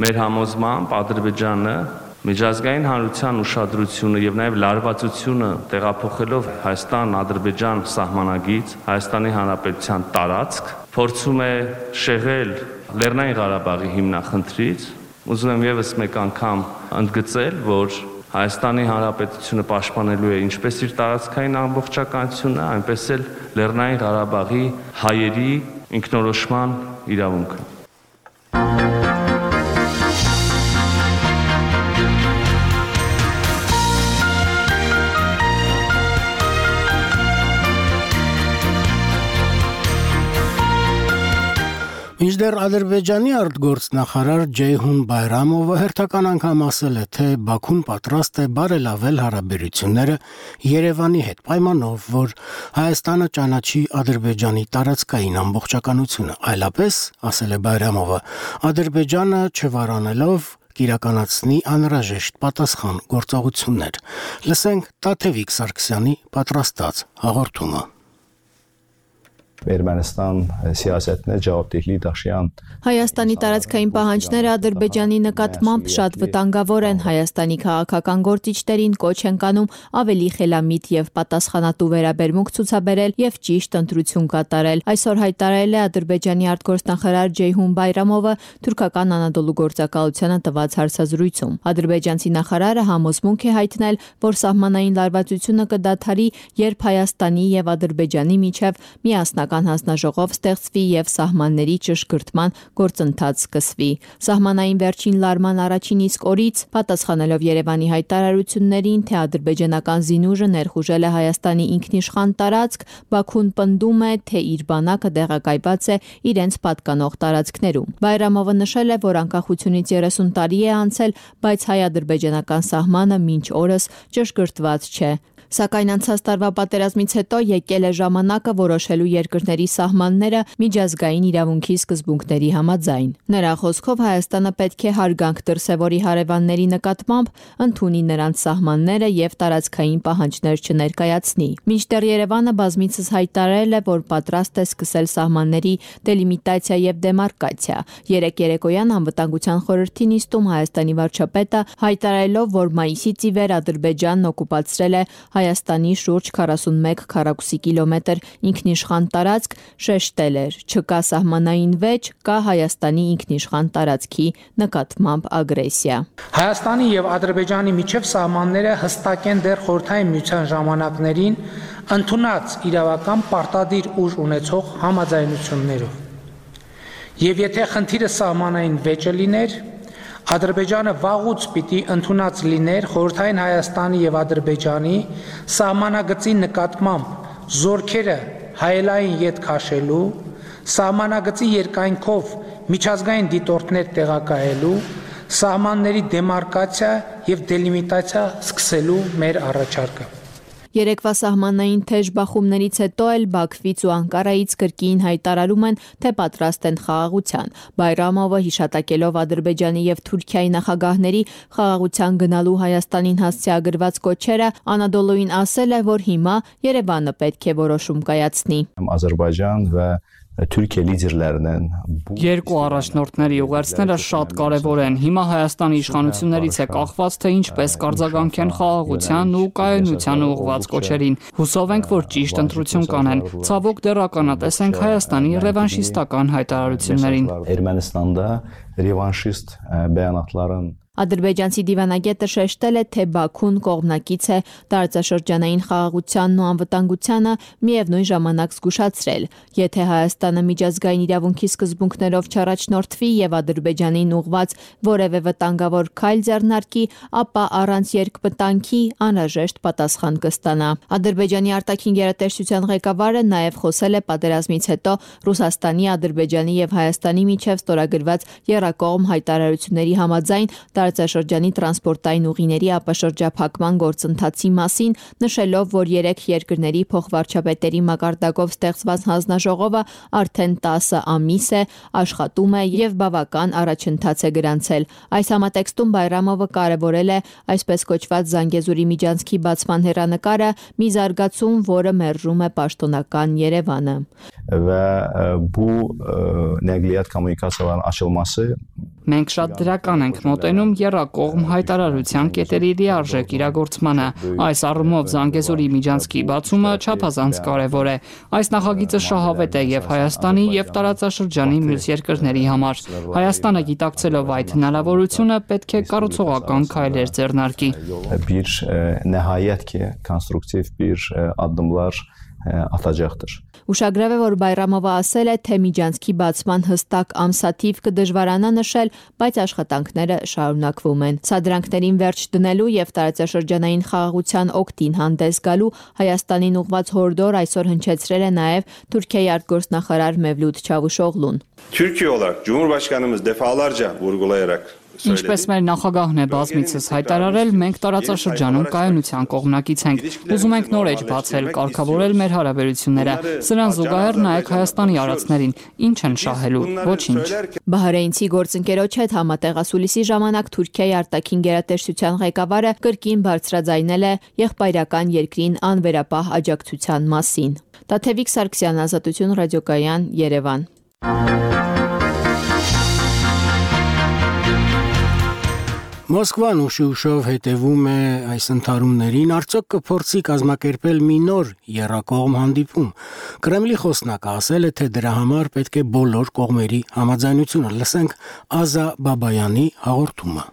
Մեր համոզմամբ Ադրբեջանը միջազգային հանրության ուշադրությունը եւ նաեւ լարվածությունը տեղափոխելով Հայաստան-Ադրբեջան սահմանագից Հայաստանի Հանրապետության տարածք փորձում է շեղել Լեռնային Ղարաբաղի հիմնախնդրից։ Ուզում եմ եւս մեկ անգամ ընդգծել, որ Հայաստանի Հանրապետությունը պաշտպանելու է ինչպես իր տարածքային ամբողջականությունը, այնպես էլ Լեռնային Ղարաբաղի հայերի ինքնորոշման իրավունքը։ Մինչդեռ Ադրբեջանի արտգործնախարար Ջեյհուն Բայրամովը հերթական անգամ ասել է, թե Բաքուն պատրաստ է բարելավել հարաբերությունները Երևանի հետ, պայմանով, որ Հայաստանը ճանաչի Ադրբեջանի տարածքային ամբողջականությունը, այլապես, ասել է Բայրամովը, Ադրբեջանը չվարանելով կիրականացնի անհրաժեշտ պատասխան գործողություններ։ Լսենք Տաթևիկ Սարգսյանի պատրաստած հաղորդումը։ Ermənistan siyasetinə cavabdehlik daşıyan Հայաստանի տարածքային պահանջները Ադրբեջանի նկատմամբ շատ վտանգավոր են։ Հայաստանի քաղաքական գործիչներին կոչ են կանում ավելի խելամիտ եւ պատասխանատու վերաբերմունք ցուցաբերել եւ ճիշտ ընտրություն կատարել։ Այսօր հայտարարել է Ադրբեջանի արտգործնախարար Ջեյհուն Բայրամովը թուրքական Անադոլու գործակալությանը տված հարցազրույցում։ Ադրբեջանցի նախարարը համոզմունք է հայտնել, որ սահմանային լարվածությունը կդադարի, երբ Հայաստանի եւ Ադրբեջանի միջև միասնական հանձնաժողով ստեղծվի եւ սահմանների ճշգրտման գործընթաց սկսվի։ Սահմանային վերջին լարման առաջին իսկ օրից, պատասխանելով Երևանի հայտարարություններին, թե ադրբեջանական զինուժը ներխուժել է Հայաստանի ինքնիշխան տարածք, Բաքուն պնդում է, թե իր բանակը տեղակայված է իրենց պատկանող տարածքներում։ Բայրամովը նշել է, որ անկախությունից երեսուն տարի է անցել, բայց հայ-ադրբեջանական սահմանը մինչ օրս ճշգրտված չէ։ Սակայն անցած տարվա պատերազմից հետո եկել է ժամանակը որոշելու երկրների սահմանները միջազգային իրավունքի սկզբունքների համաձայն։ Նրա խոսքով Հայաստանը պետք է հարգանք դրսևորի հարևանների նկատմամբ, ընդունի նրանց սահմանները եւ տարածքային պահանջներ չներկայացնի։ Մինչդեռ Երևանը բազմիցս հայտարարել է, որ պատրաստ է սկսել սահմանների դելիմիտացիա եւ դեմարկացիա։ Երեք երեկոյան անվտանգության խորհրդի նիստում Հայաստանի վարչապետը հայտարարելով, որ մայիսից ի վեր Ադրբեջանն օկուպացրել է Հայաստանի շուրջ քառասունմեկ քառակուսի կիլոմետր ինքնիշխան տարածք, շեշտել էր. չկա սահմանային վեճ, կա Հայաստանի ինքնիշխան տարածքի նկատմամբ ագրեսիա։ Հայաստանի եւ Ադրբեջանի միջև սահմանները հստակ են դեռ խորհրդային միության ժամանակներին ընդունած իրավական պարտադիր ուժ ունեցող համաձայնություններով։ Եվ եթե խնդիրը սահմանային վեճը լիներ, Ադրբեջանը վաղուց պիտի ընդունած լիներ խորհրդային Հայաստանի եւ Ադրբեջանի սահմանագծի նկատմամբ զորքերը հայելային յետ քաշելու, սահմանագծի երկայնքով միջազգային դիտորդներ տեղակայելու, սահմանների դեմարկացիա եւ դելիմիտացիա սկսելու մեր առաջարկը։ Երեկվա սահմանային թեժ բախումներից հետո էլ Բաքվից ու Անկարայից կրկին հայտարարում են, թե պատրաստ են խաղաղության։ Բայրամովը հիշատակելով Ադրբեջանի եւ Թուրքիայի նախագահների խաղաղության գնալու Հայաստանին հասցեագրված կոչերը, Անադոլուին ասել է, որ հիմա Երևանը պետք է որոշում կայացնի։ Ադրբեջան və Türkiye liderlərinin Երկու առաջնորդների ուղերձները շատ կարևոր են։ Հիմա Հայաստանի իշխանություններից է կախված, թե ինչպես կարձագանքեն խաղաղության ու կայունության ուղղված կոչերին։ Հուսով ենք, որ ճիշտ ընտրություն կանեն։ Ցավոք դեռ ականատես ենք Հայաստանի ռևանշիստական հայտարարություններին։ Ermənistanda revanşist bəyanatların Ադրբեջանցի դիվանագետը շեշտել է, թե Բաքուն կողմնակից է տարածաշրջանային խաղաղությանն ու անվտանգությանը, միևնույն ժամանակ զգուշացրել, եթե Հայաստանը միջազգային իրավունքի սկզբունքներով չառաջնորդվի եւ Ադրբեջանին ուղղված որևէ վտանգավոր քայլ ձեռնարկի, ապա առանց երկպտանքի անհրաժեշտ պատասխան կստանա։ Ադրբեջանի արտաքին գերատեսչության ղեկավարը նաեւ խոսել է պատերազմից հետո Ռուսաստանի, Ադրբեջանի եւ Հայաստանի միջև ստորագրված եռակողմ հայտարարությունների համաձայն տարածաշրջանի տրանսպորտային ուղիների ապաշրջափակման գործընթացի մասին, նշելով, որ երեք երկրների փոխվարչապետերի մակարդակով ստեղծված հանձնաժողովը արդեն տասը ամիս է աշխատում է եւ բավական առաջընթաց է գրանցել։ Այս համատեքստում Բայրամովը կարևորել է այսպես կոչված Զանգեզուրի միջանցքի բացման հեռանկարը, մի զարգացում, որը մերժում է պաշտոնական Երևանը։ Və bu nəqliyyat kommunikasiyalarının açılması Մենք շատ դրական ենք մոտենում եռակողմ հայտարարության կետերի լիարժեք իրագործմանը։ Այս առումով Զանգեզուրի միջանցքի բացումը չափազանց կարևոր է։ Այս նախագիծը շահավետ է եւ Հայաստանի եւ տարածաշրջանի մյուս երկրների համար։ Հայաստանը գիտակցելով այդ հնարավորությունը պետք է կառուցողական քայլեր ձեռնարկի։ Bir nəhayət ki, konstruktiv bir addımlar atacaqdır։ Ուշագրավ է, որ Բայրամովը ասել է, թե միջանցքի բացման հստակ ամսաթիվ կդժվարանա նշել, բայց աշխատանքները շարունակվում են։ Սադրանքներին վերջ դնելու եւ տարածաշրջանային խաղաղության օգտին հանդես գալու Հայաստանին ուղղված հորդոր այսօր հնչեցրել է նաեւ Թուրքիայի արտգործնախարար Mevlut Çavuşoğlu'n։ Türkiye olarak Cumhurbaşkanımız defalarca vurgulayarak Ինչպես մեր նախագահն է բազմիցս հայտարարել, մենք տարածաշրջանում կայունության կողմնակից ենք։ Ուզում ենք նոր էջ բացել, կարգավորել մեր հարաբերությունները։ Սրան զուգահեռ նայեք Հայաստանի արածներին, ինչ են շահելու, ոչինչ։ Բահրեյնցի գործընկերոջ հետ համատեղասուլիսի ժամանակ Թուրքիայի արտաքին գերատեսչության ղեկավարը կրկին բարձրաձայնել է եղբայրական երկրին անվերապահ աջակցության մասին։ Տաթևիկ Սարգսյան, Ազատություն ռադիոկայան, Երևան։ Մոսկվան ուշ-ուշով հետևում է այս ընթարումներին, արդյոք կփորձի կազմակերպել մի նոր եռակողմ հանդիպում։ Կրեմլի խոսնակը ասել է, թե դրա համար պետք է բոլոր կողմերի համաձայնությունը։ Լսենք Ազա Բաբայանի հաղորդումը։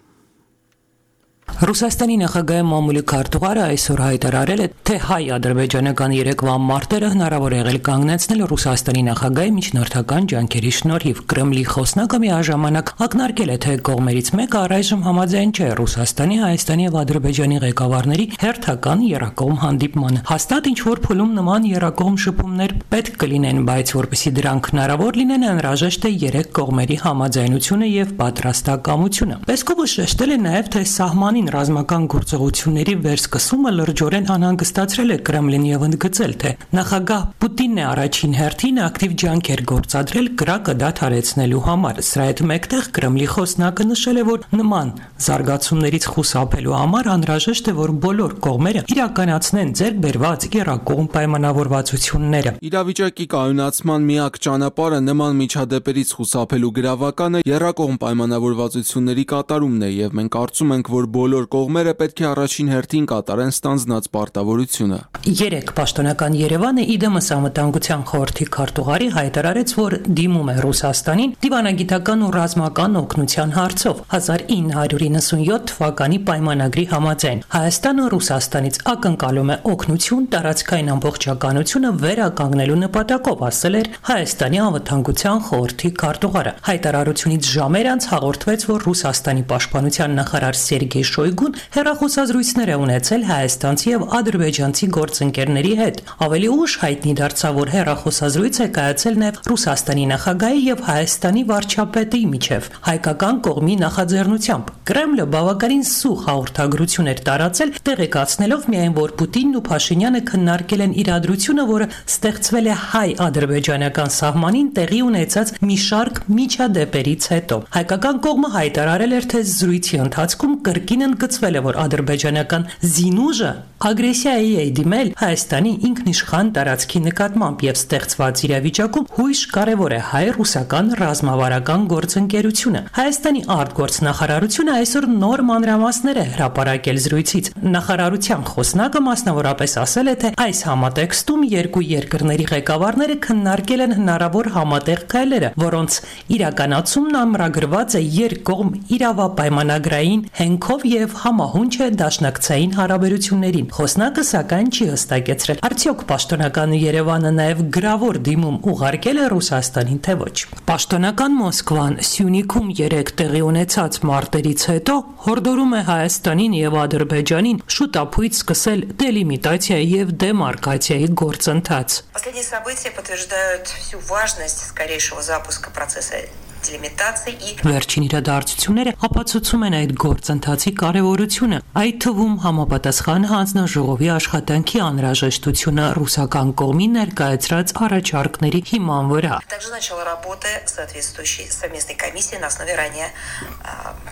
Ռուսաստանի նախագահի մամուլի քարտուղարը այսօր հայտարարել է, թե հայ-ադրբեջանական երեկվա մարտերը հնարավոր է եղել կանգնեցնել Ռուսաստանի նախագահի միջնորդական ջանքերի շնորհիվ։ Կրեմլի խոսնակը միաժամանակ ակնարկել է, թե կողմերից մեկը առայժմ համաձայն չէ Ռուսաստանի, Հայաստանի եւ Ադրբեջանի ղեկավարների հերթական եռակողմ հանդիպմանը։ Հաստատ ինչ-որ փուլում նման եռակողմ շփումներ պետք կլինեն, բայց որպեսզի դրանք հնարավոր լինեն, անհրաժեշտ է երեք կողմերի համաձայնությունը եւ պատրաստակամությունը։ Պեսկովը շեշտել է նաեւ, թե սահմանին ռազմական գործողությունների վերսկսումը լրջորեն անհանգստացրել է Կրեմլին եւ ընդգծել, թե նախագահ Պուտինն է առաջին հերթին ակտիվ ջանքեր գործադրել կրակը դադարեցնելու համար։ Սրա հետ մեկտեղ Կրեմլի խոսնակը նշել է, որ նման զարգացումներից խուսափելու համար անհրաժեշտ է, որ բոլոր կողմերը իրականացնեն ձեռք բերված եռակողմ պայմանավորվածությունները։ Իրավիճակի կայունացման միակ ճանապարհը նման միջադեպերից խուսափելու գրավականը եռակողմ պայմանավորվածությունների կատարումն է, եւ մենք կարծում ենք, որ բոլոր կողմերը պետք է առաջին հերթին կատարեն ստանձնած պարտավորությունը։ Երեք պաշտոնական Երևանը իդեմս անվտանգության խորհրդի քարտուղարի հայտարարեց, որ դիմում է Ռուսաստանին դիվանագիտական ու ռազմական օգնության հարցով հազար ինը հարյուր իննսունյոթ թվականի պայմանագրի համաձայն։ Հայաստանը Ռուսաստանից ակնկալում է օգնություն տարածքային ամբողջականությունը վերականգնելու նպատակով, ասել էր Հայաստանի անվտանգության խորհրդի քարտուղարը։ Հայտարարությունից ժամեր անց հաղորդվեց, որ Ռուսաստանի պաշտպանության նախարար Սերգեյ Շոյգուն հեռախոսազրույցներ է ունեցել հայաստանցի եւ ադրբեջանցի գործընկերների հետ։ Ավելի ուշ հայտնի դարձավ, որ հեռախոսազրույց է կայացել նաեւ Ռուսաստանի նախագահի եւ Հայաստանի վարչապետի միջև հայկական կողմի նախաձեռնությամբ։ Կրեմլը բավականին սուղ հաղորդագրություն էր տարածել, տեղեկացնելով միայն, որ Պուտինն ու Փաշինյանը քննարկել են իրադրությունը, որը ստեղծվել է հայ-ադրբեջանական սահմանին տեղի ունեցած մի շարք միջադեպերից հետո։ Հայկական կողմը հայտարարել էր, թե զրույցի ընթացքում կրկին ընդգծվել է, որ ադրբեջանական զինուժը ագրեսիայի է դիմել Հայաստանի ինքնիշխան տարածքի նկատմամբ եւ ստեղծված իրավիճակում հույժ կարեւոր է հայ-ռուսական ռազմավարական գործընկերությունը։ Հայաստանի արտգործնախարարությունը այսօր նոր մանրամասներ է հրապարակել զրույցից։ Նախարարության խոսնակը մասնավորապես ասել է, թե այս համատեքստում երկու երկրների ղեկավարները քննարկել են հնարավոր համատեղ քայլերը, որոնց իրականացումն ամրագրված է երկկողմ իրավապայմանագրային հենքով եւ համահունչ է դաշնակցային հարաբերություններին։ Խոսնակը սակայն չի հստակեցրել, արդյոք պաշտոնական Երևանը նաեւ գրավոր դիմում ուղարկել է Ռուսաստանին, թե ոչ։ Պաշտոնական Մոսկվան Սյունիքում երեք տեղի ունեցած մարտերից հետո հորդորում է Հայաստանին եւ Ադրբեջանին շուտապույտ սկսել դելիմիտացիայի եւ դեմարկացիայի գործընթաց։ Последние события подтверждают всю важность скорейшего запуска процесса делимитации и Վերջին իրադարձությունները ապացուցում են այդ գործընթացի կարևորությունը, այդ թվում համապատասխան հանձնաժողովի աշխատանքի անհրաժեշտությունը ռուսական կողմի ներկայացրած առաջարկների հիման վրա։ Также начала работы соответствующей совместной комиссии на основе ранее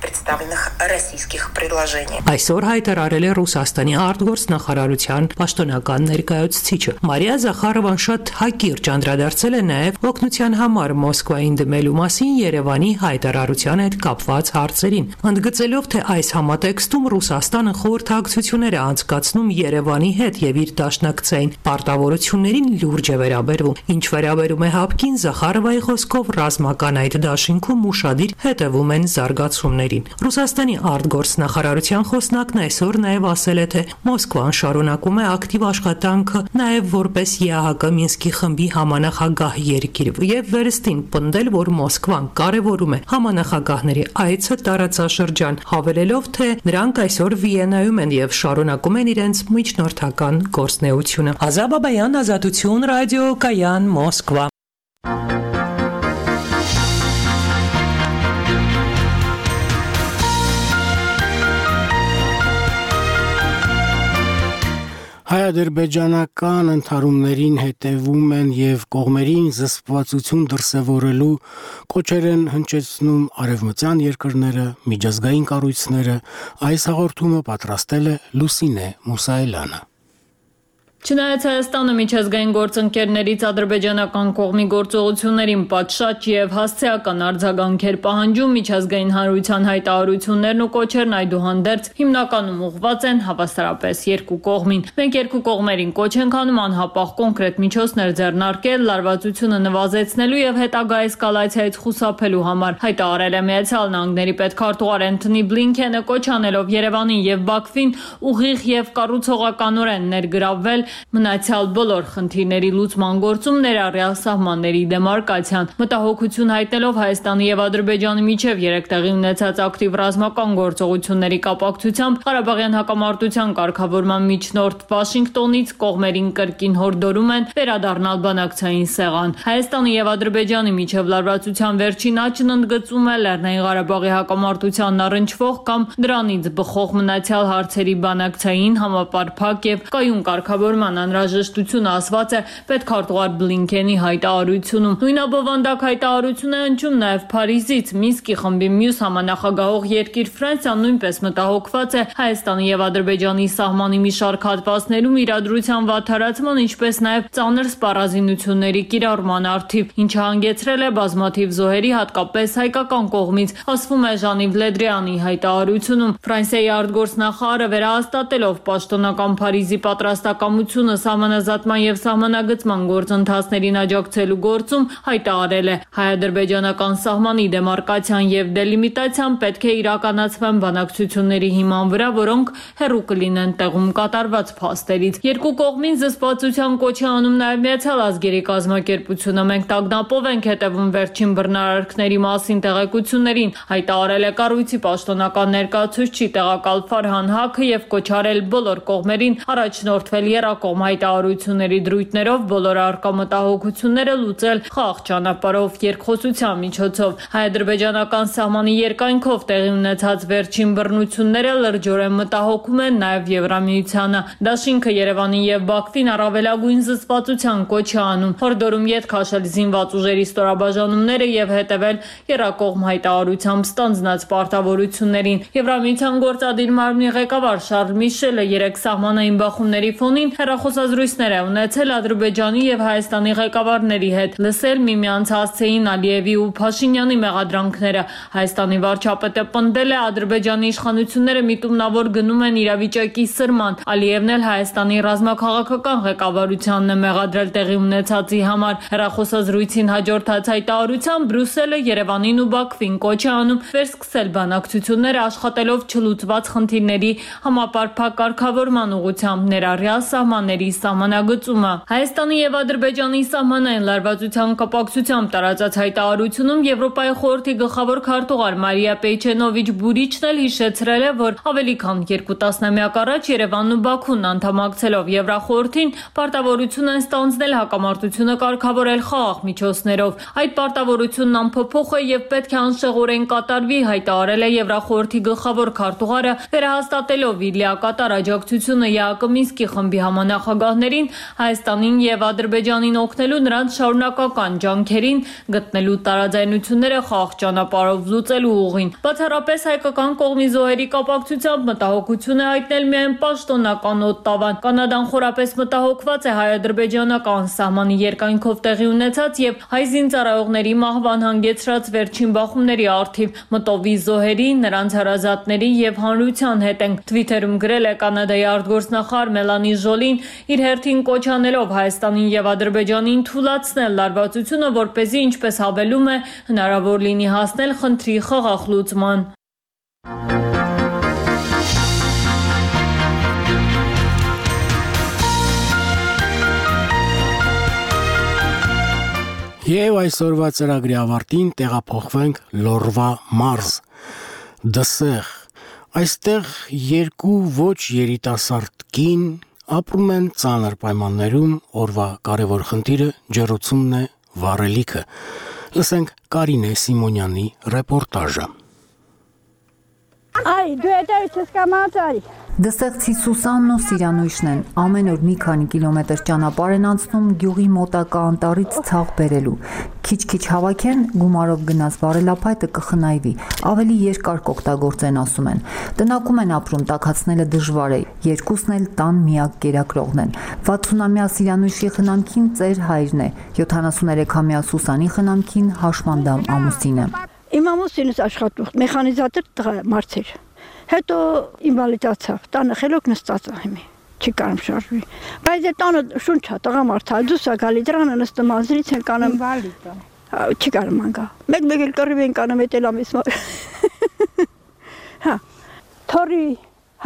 представленных российских предложений։ Այսօր հայտարարել է Ռուսաստանի արտգործնախարարության պաշտոնական ներկայացուցիչը։ Մարիա Զախարովան շատ հակիրճ անդրադարձել է նաև օգնության համար Մոսկվային դիմելու մասին Երևանի հայտարարության հետ կապված հարցերին, ընդգծելով, թե այս համատեքստում Ռուսաստանը խորհրդակցություններ է անցկացնում Երևանի հետ եւ իր դաշնակցային պարտավորություններին լուրջ է վերաբերվում։ Ինչ վերաբերում է հապկին, Զախարովայի խոսքով ռազմական այդ դաշինքում ուշադիր հետևում են զարգացումներին։ Ռուսաստանի արտգործնախարարության խոսնակն այսօր նաև ասել է, թե Մոսկվան շարունակում է ակտիվ աշխատանքը նաև որպես ԵԱՀԿ Մինսկի խմբի համանախագահ երկիր եւ վերստին պնդել, որ Մոսկվան կարևորում է համանախագահների այցը տարածաշրջան, հավելելով, թե նրանք այսօր Վիեննայում են եւ շարունակում են իրենց միջնորդական գործունեությունը։ Ազա Բաբայան, Ազատություն ռադիոկայան, Մոսկվա։ Հայ-ադրբեջանական ընդհարումներին հետևում են եւ կողմերին զսպվածություն դրսեւորելու կոչեր են հնչեցնում արևմտյան երկրները, միջազգային կառույցները, այս հաղորդումը պատրաստել է Լուսինե Մուսայելյանը։ Չնայած Հայաստանը միջազգային գործընկերներից ադրբեջանական կողմի գործողություններին պատշաճ եւ հասցեական արձագանքեր պահանջում, միջազգային հանրության հայտարարություններն ու կոչերն այդուհանդերձ հիմնականում ուղղված են հավասարապես երկու կողմին։ Մենք երկու կողմերին կոչ ենք անում անհապաղ կոնկրետ միջոցներ ձեռնարկել լարվածությունը նվազեցնելու եւ հետագա էսկալացիայից խուսափելու համար, հայտարարել է Միացյալ Նահանգների պետքարտուղար Էնթոնի Բլինքենը, կոչ անելով Երևանին եւ Բաքվին ուղիղ եւ կառուցողականորեն ներգրավվել մնացյալ բոլոր խնդիրների լուծման գործում ներառյալ սահմանների դեմարկացիան, մտահոգություն հայտնելով Հայաստանի եւ Ադրբեջանի միջև երեք տեղի ունեցած ակտիվ ռազմական գործողությունների կապակցությամբ Ղարաբաղյան հակամարտության կարգավորման միջնորդ Վաշինգտոնից կողմերին կրկին հորդորում են վերադառնալ բանակցային սեղան։ Հայաստանի եւ Ադրբեջանի միջև լարվածության վերջին աճն ընդգծում է Լեռնային Ղարաբաղի հակամարտությանն առնչվող կամ դրանից բխող մնացյալ հարցերի բանակցային համապարփակ եւ կայուն կարգավորման անհրաժեշտությունը ասված է պետքարտուղար Բլինքենի հայտարարությունում։ Նույնաբովանդակ հայտարարություն է հնչում նաև Փարիզից։ Մինսկի խմբի մյուս համանախագահող երկիր Ֆրանսիան նույնպես մտահոգված է Հայաստանի եւ Ադրբեջանի սահմանի մի շարք հատվածներում իրադրության վատթարացման, ինչպես նաև ծանր սպառազինությունների կիրառման առթիվ, ինչը հանգեցրել է բազմաթիվ զոհերի, հատկապես հայկական կողմից, ասվում է Ժանիվ Լեդրիանի հայտարարությունում։ Ֆրանսիայի արտգործնախարարը վերահաստատելով պաշտոնական Փարիզի պատրաստակամությունը սահմանազատման եւ սահմանագծման գործընթացներին աջակցելու գործում հայտարարել է հայ-ադրբեջանական սահմանի դեմարկացիան եւ դելիմիտացիան պետք է իրականացվեն բանակցությունների հիման վրա, որոնք հեռու կլինեն տեղում կատարված փաստերից։ Երկու կողմին զսպվածության կոչ է անում նաեւ Միացյալ ազգերի կազմակերպությունը։ Մենք տագնապով ենք հետևում վերջին բռնարարքների մասին տեղեկություններին, հայտարարել է կառույցի պաշտոնական ներկայացուցիչ տեղակալ Ֆարհան Հաքը եւ կոչարել բոլոր կողմերին առաջնորդվել եռակողմ հայտարարությունների դրույթներով, բոլոր առկա մտահոգությունները լուծել խաղաղ ճանապարհով երկխոսության միջոցով։ Հայ-ադրբեջանական սահմանի երկայնքով տեղի ունեցած վերջին բռնությունները լրջորեն մտահոգում են նաև Եվրամիությանը։ Դաշինքը Երևանին եւ Բաքվին առավելագույն զսպվածության կոչ է անում, հորդորում յետ քաշել զինված ուժերի ստորաբաժանումները եւ հետեւել եռակողմ հայտարարությամբ ստանձնած պարտավորություններին։ Եվրամիության գործադիր մարմնի ղեկավար Շարլ Միշելը երեք սահմանային բախումների ֆոնին հեռախոսազրույցներ է ունեցել Ադրբեջանի եւ Հայաստանի ղեկավարների հետ, լսել միմյանց հասցեին Ալիևի ու Փաշինյանի մեղադրանքները։ Հայաստանի վարչապետը պնդել է Ադրբեջանի իշխանությունները միտումնավոր գնում են իրավիճակի սրման։ Ալիևն էլ Հայաստանի ռազմաքաղաքական ղեկավարությանն է մեղադրել տեղի ունեցածի համար։ Հեռախոսազրույցին հաջորդած հայտարարությամբ Բրյուսելը Երևանին ու Բաքվին կոչ է անում վերսկսել բանակցությունները աշխատելով չլուծված խնդիրների համապարփակ կարգավորման ուղղությամբ ներառյալ սահմանների սահմանագծումը։ Հայաստանի եւ Ադրբեջանի սահմանային լարվածության կապակցությամբ տարածած հայտարարությունում Եվրոպայի խորհրդի գլխավոր քարտուղար Մարիա Պեյչենովիչ Բուրիչն էլ հիշեցրել է, որ ավելի քան երկու տասնամյակ առաջ Երևանն ու Բաքուն անդամակցելով Եվրախորհրդին պարտավորություն են ստանձնել հակամարտությունը կարգավորել խաղաղ միջոցներով։ Այդ պարտավորությունն անփոփոխ է եւ պետք է անշեղորեն կատարվի, հայտարարել է Եվրախորհրդի գլխավոր քարտուղարը, վերահաստատելով իր լիակատար աջակցությունը ԵԱԿ Մինսկի խմբի համանախագահներին Հայաստանին եւ Ադրբեջանին օգնելու նրանց շարունակական ջանքերին գտնելու տարաձայնությունները խաղաղ ճանապարհով լուծելու ուղին։ Բացառապես հայկական կողմի զոհերի կապակցությամբ մտահոգություն է հայտնել միայն պաշտոնական Օտտավան։ Կանադան խորապես մտահոգված է հայ-ադրբեջանական սահմանի երկայնքով տեղի ունեցած եւ հայ զինծառայողների մահվան հանգեցրած վերջին բախումների առթիվ մտովի զոհերի, նրանց հարազատների եւ հանրության հետ են Twitter-ում գրել է Կանադայի արտգործնախարար Մելանի Ժոլին, իր հերթին կոչ անելով Հայաստանին եւ Ադրբեջանին թույլատրել լարվածությունը, որպեսզի, ինչպես հավելում է, հնարավոր լինի հասնել խնդրի խաղաղ լուծման։ Եվ այսօրվա ծրագրի ավարտին տեղափոխվենք Լորվա մարզ, Դսեղ։ Այստեղ երկու ոչ երիտասարդ կին ապրում են ծանր պայմաններում, օրվա կարևոր խնդիրը ջեռուցումն է, վառելիքը։ Լսենք Կարինե Սիմոնյանի ռեպորտաժը։ Այ, դու հետո չես կամացարի։ Դսեղցի Սուսանն ու Սիրանույշն են ամեն օր մի քանի կիլոմետր ճանապարհ են անցնում գյուղի մոտակա անտառից ցաղ բերելու։ Քիչ-քիչ հավաքեն, գումարով գնաց վարելափայտը կխնայվի, ավելի երկար կօգտագործեն ասում են։ Տնակում են ապրում, տաքացնելը դժվար է, երկուսն էլ տան միակ կերակրողն են։ վաթսունամյա Սիրանույշի խնամքին ծեր հայրն է, յոթանասուներեքամյա Սուսանի խնամքին հաշմանդամ ամուսինը։ Իմ ամուսինս աշխատող մեխանիզատոր տղա մարդ էր։ Հետո ինվալիդացավ, տանը խելոք նստած է հիմի, չի կարում շարժվի։ Բայց է տանը շունչա, տղամարդ է, դուս է գալի դրանը նստում ազրից են կանում։ Ինվալիդ է։ Չի կարում անգա։ Մեկ-մեկ էլ կռիվ են կանում, էտ էլ ամիս մար։ Հա, թորի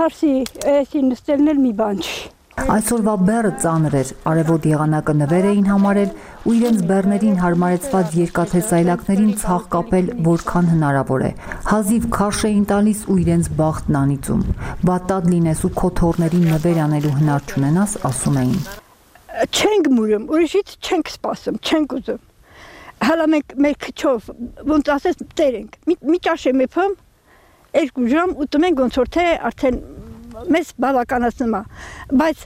հարսի էսի նստելն էլ մի բան չի։ Այսօրվա բեռը ծանր էր, արևոտ եղանակը նվեր էին համարել ու իրենց բեռներին հարմարեցված երկաթե սայլակներին ցաղ կապել որքան հնարավոր է։ Հազիվ քարշ էին տալիս ու իրենց բախտն անիծում։ Բատատ լինես ու քո թորներին նվեր անելու հնար չունենաս, ասում էին։ Չենք մուրում, ուրիշից չենք սպասում, չենք ուզում։ Հələ մենք մեր քչով ոնց ասես տեր ենք։ Մի ճաշ եմ եփում, երկու ժամ ուտում ենք ոնց որ թե արդեն մեզ բավականացնում է, բայց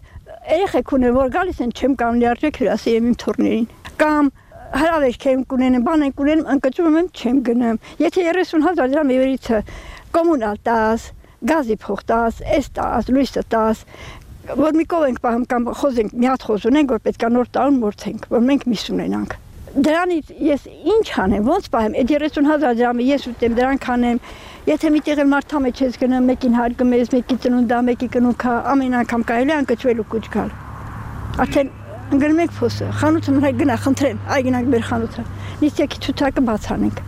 երեխեք ունեն, որ գալիս են չեմ կարող լիարժեք հյուրասիրեմ իմ թորներին, կամ հրավերք եմ կունենեմ, բան եմ կունենեմ, ընկճում եմ չեմ գնամ, եթե երեսուն հազար դրամ եվերիցը կոմունալ տաս, գազի փող տաս, էս տաս, լույսը տաս, որ մի կով ենք պահում կամ խոզենք, մի հատ խոզ ունենք, որ պետք է նոր տարուն մորցենք, որ մենք միս ունենանք։ Դրանից ես ինչ անեմ, ոնց պահեմ, այդ երեսուն հազար դրամը ես ուտեմ, դրանք անեմ, եթե միտեղ էլ մարդա մեջ ես գնամ, մեկին հարգում ես, մեկի ծնունդա, մեկի կնուքա, ամեն անգամ կարելի անկճվելու կուչ գալ։ Արդեն ընկնում ենք փոսը, խանութը մնա գնա, խնդրեմ, այ գնանք մեր խանութը, նիստյակի ցուցակը բաց անենք։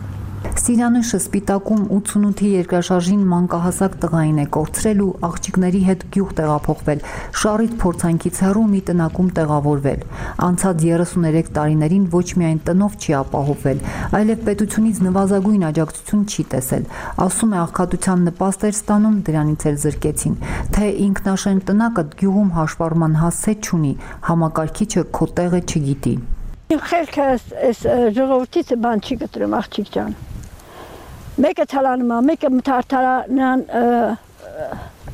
Սիրանույշը Սպիտակում ութսունութի երկրաշարժին մանկահասակ տղային է կորցրել ու աղջիկների հետ գյուղ տեղափոխվել, շարից փորձանքից հեռու մի տնակում տեղավորվել։ Անցած երեսուներեք տարիներին ոչ միայն տնով չի ապահովվել, այլև պետությունից նվազագույն աջակցություն չի տեսել։ Ասում է աղքատության նպաստ էր ստանում, դրանից էլ զրկեցին։ Թե ինքնաշեն տնակը գյուղում հաշվառման հասցե չունի, համակարգիչը քո տեղը չգիտի։ Խելքը այս ժողովրդից բան չի գտրում, աղջիկ ջան։ Մեկը ցալանում է, մեկը մթարթարանան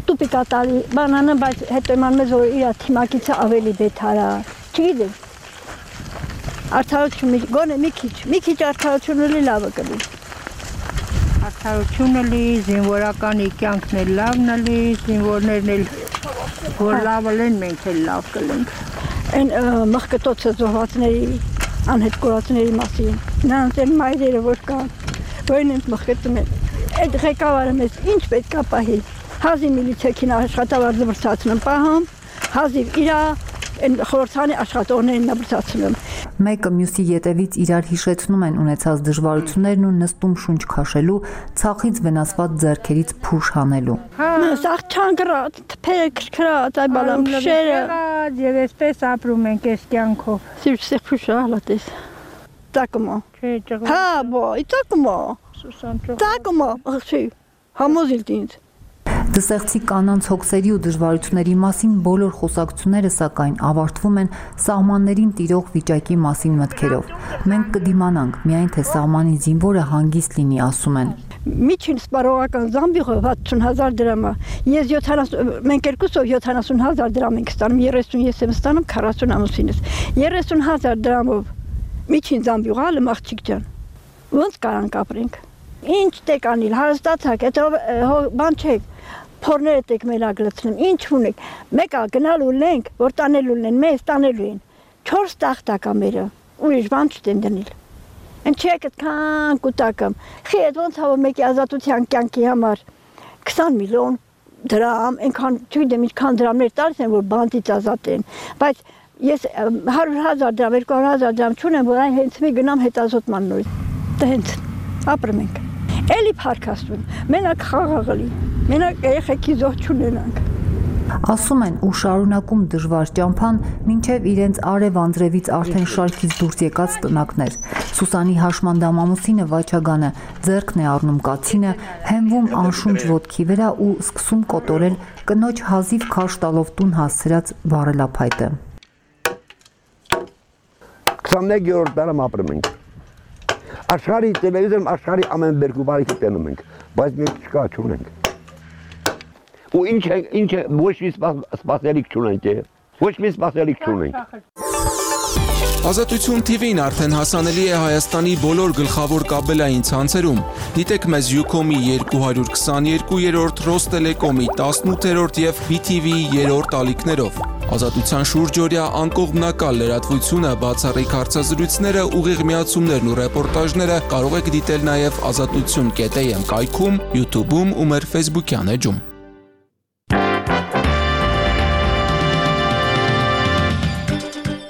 տուպիկա տալի, բանանը, բայց հետո իման մեզ որ իր թիմակիցը ավելի բեթարա, չգիտեմ։ Արդարություն, գոնե մի քիչ, մի քիչ արդարություն լի լավը կլի։ Արդարությունը լի, զինվորականի կյանքն էլ լավն լի, զինվորներն էլ որ լավը լեն, մենք էլ լավ կլենք։ Այն մխկտոցը զոհվածների, անհետ կորածների մասին, նրանց են մայրերը որ կան, որին ենք մխկտում են, այդ ղեկավարը մեզ ինչ պետք է պահի, հազիվ միլիցեքին աշխատավարձ զվրցացնում պահում, հազիվ իրա խորհրդանի աշխատողներին նբրցացնում։ Մեկը մյուսի ետևից իրար հիշեցնում են ունեցած դժվարություններն ու նստում շունչ քաշելու, ցախից վնասված ձեռքերից փուշ հանելու։ Սաղ չանգրած, թփերը քրքրած, այ բալամ փշերը։ Եվ այսպես ապրում ենք այս կյանքով։ Սիրսեղ փուշը հալատես։ Տակումա։ Չէ, ճղու։ Հա, բո, տակումա։ Սուսան ճղու։ Տակումա, աղջի։ Համոզիլ ինձ։ Դսեղցի կանանց հոգսերի ու դժվարությունների մասին բոլոր խոսակցությունները սակայն ավարտվում են սահմաններին տիրող վիճակի մասին մտքերով։ Մենք կդիմանանք, միայն թե սահմանի զինվորը հանգիստ լինի, ասում են։ Միջին սպառողական զամբյուղը վաթսուն հազար դրամ է։ Ես յոթանասուն, մենք երկուսով յոթանասուն հազար դրամ ենք ստանում, երեսուն ես եմ ստանում, քառասուն ամուսինս։ երեսուն հազար դրամով միջին զամբյուղ ալը աղջիկ ջան։ Ոնց կարանք ապրենք։ Ինչ տեք անիլ, հարստացակ, հետո բան չեք, փորները տեք մելագլցնում, ինչ ունեք, մեկա գնալու լենք, որ տանելու լեն, մեզ տանելու են, չորս տախտակա մերը, ուրիշ բան չտեն դնել, են չեք էտ կան կուտակում, խի էտ ոնց հավոր մեկի ազատության կյանքի համար քսան միլիոն դրամ, ենքան, չգիտեմ ինչքան դրամներ տալիս են, որ բանտից ազատ են, բայց ես հարյուր հազար դրամ, երկու հարյուր հազար դրամ չունեմ, որ այն հենց մի գնամ հետազոտման նորից, դա հենց ապրում ենք, էլի փարքաստուն, մենակ խաղաղլի, մենակ երեխեքի զոհ չունենանք։ Ասում են ու շարունակում դժվար ճամփան, մինչև իրենց արև անձրևից արդեն շարքից դուրս եկած տնակներ։ Սուսանի հաշմանդամ ամուսինը Վաչագանը ձեռքն է առնում կացինը, հենվում անշունչ ոտքի վրա ու սկսում կոտորել կնոջ հազիվ քաշ տալով տուն հասցրած վառելափայտը։ քսաներկերորդ տարում ապրում ենք։ Աշխարհի տելևիզորում աշխարհի ամեն բերկու բարիքը տենում ենք, բայց մենք չկա չունենք։ Ու ինչ է, ինչ է, ոչ մի սպասելիք չունենք է։ Ոչ մի սպասելիք չունենք։ Ազատություն Թի Վին արդեն հասանելի է Հայաստանի բոլոր գլխավոր կաբելային ցանցերում։ Դիտեք մեզ Ucom-ի երկու քսաներկուերորդ, Ռոստելեկոմի տասնութերորդ եւ B T V-ի երրորդ ալիքներով։ Ազատության շուրջօրյա անկողմնակալ լրատվությունը, բացառիկ հարցազրույցները, ուղիղ միացումներն ու ռեպորտաժները կարող եք դիտել նաև ազատություն կետ A M կայքում, YouTube-ում ու մեր Facebook-յան էջում։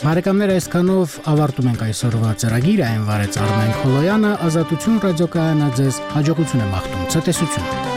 Բարեկամներ, այսքանով ավարտում ենք այսօրվա ծրագիրը, այն վարեց Արմեն Խոլոյանը, Ազատություն ռադիոկայանը ձեզ հաջողություն է մաղթում, ցտեսություն։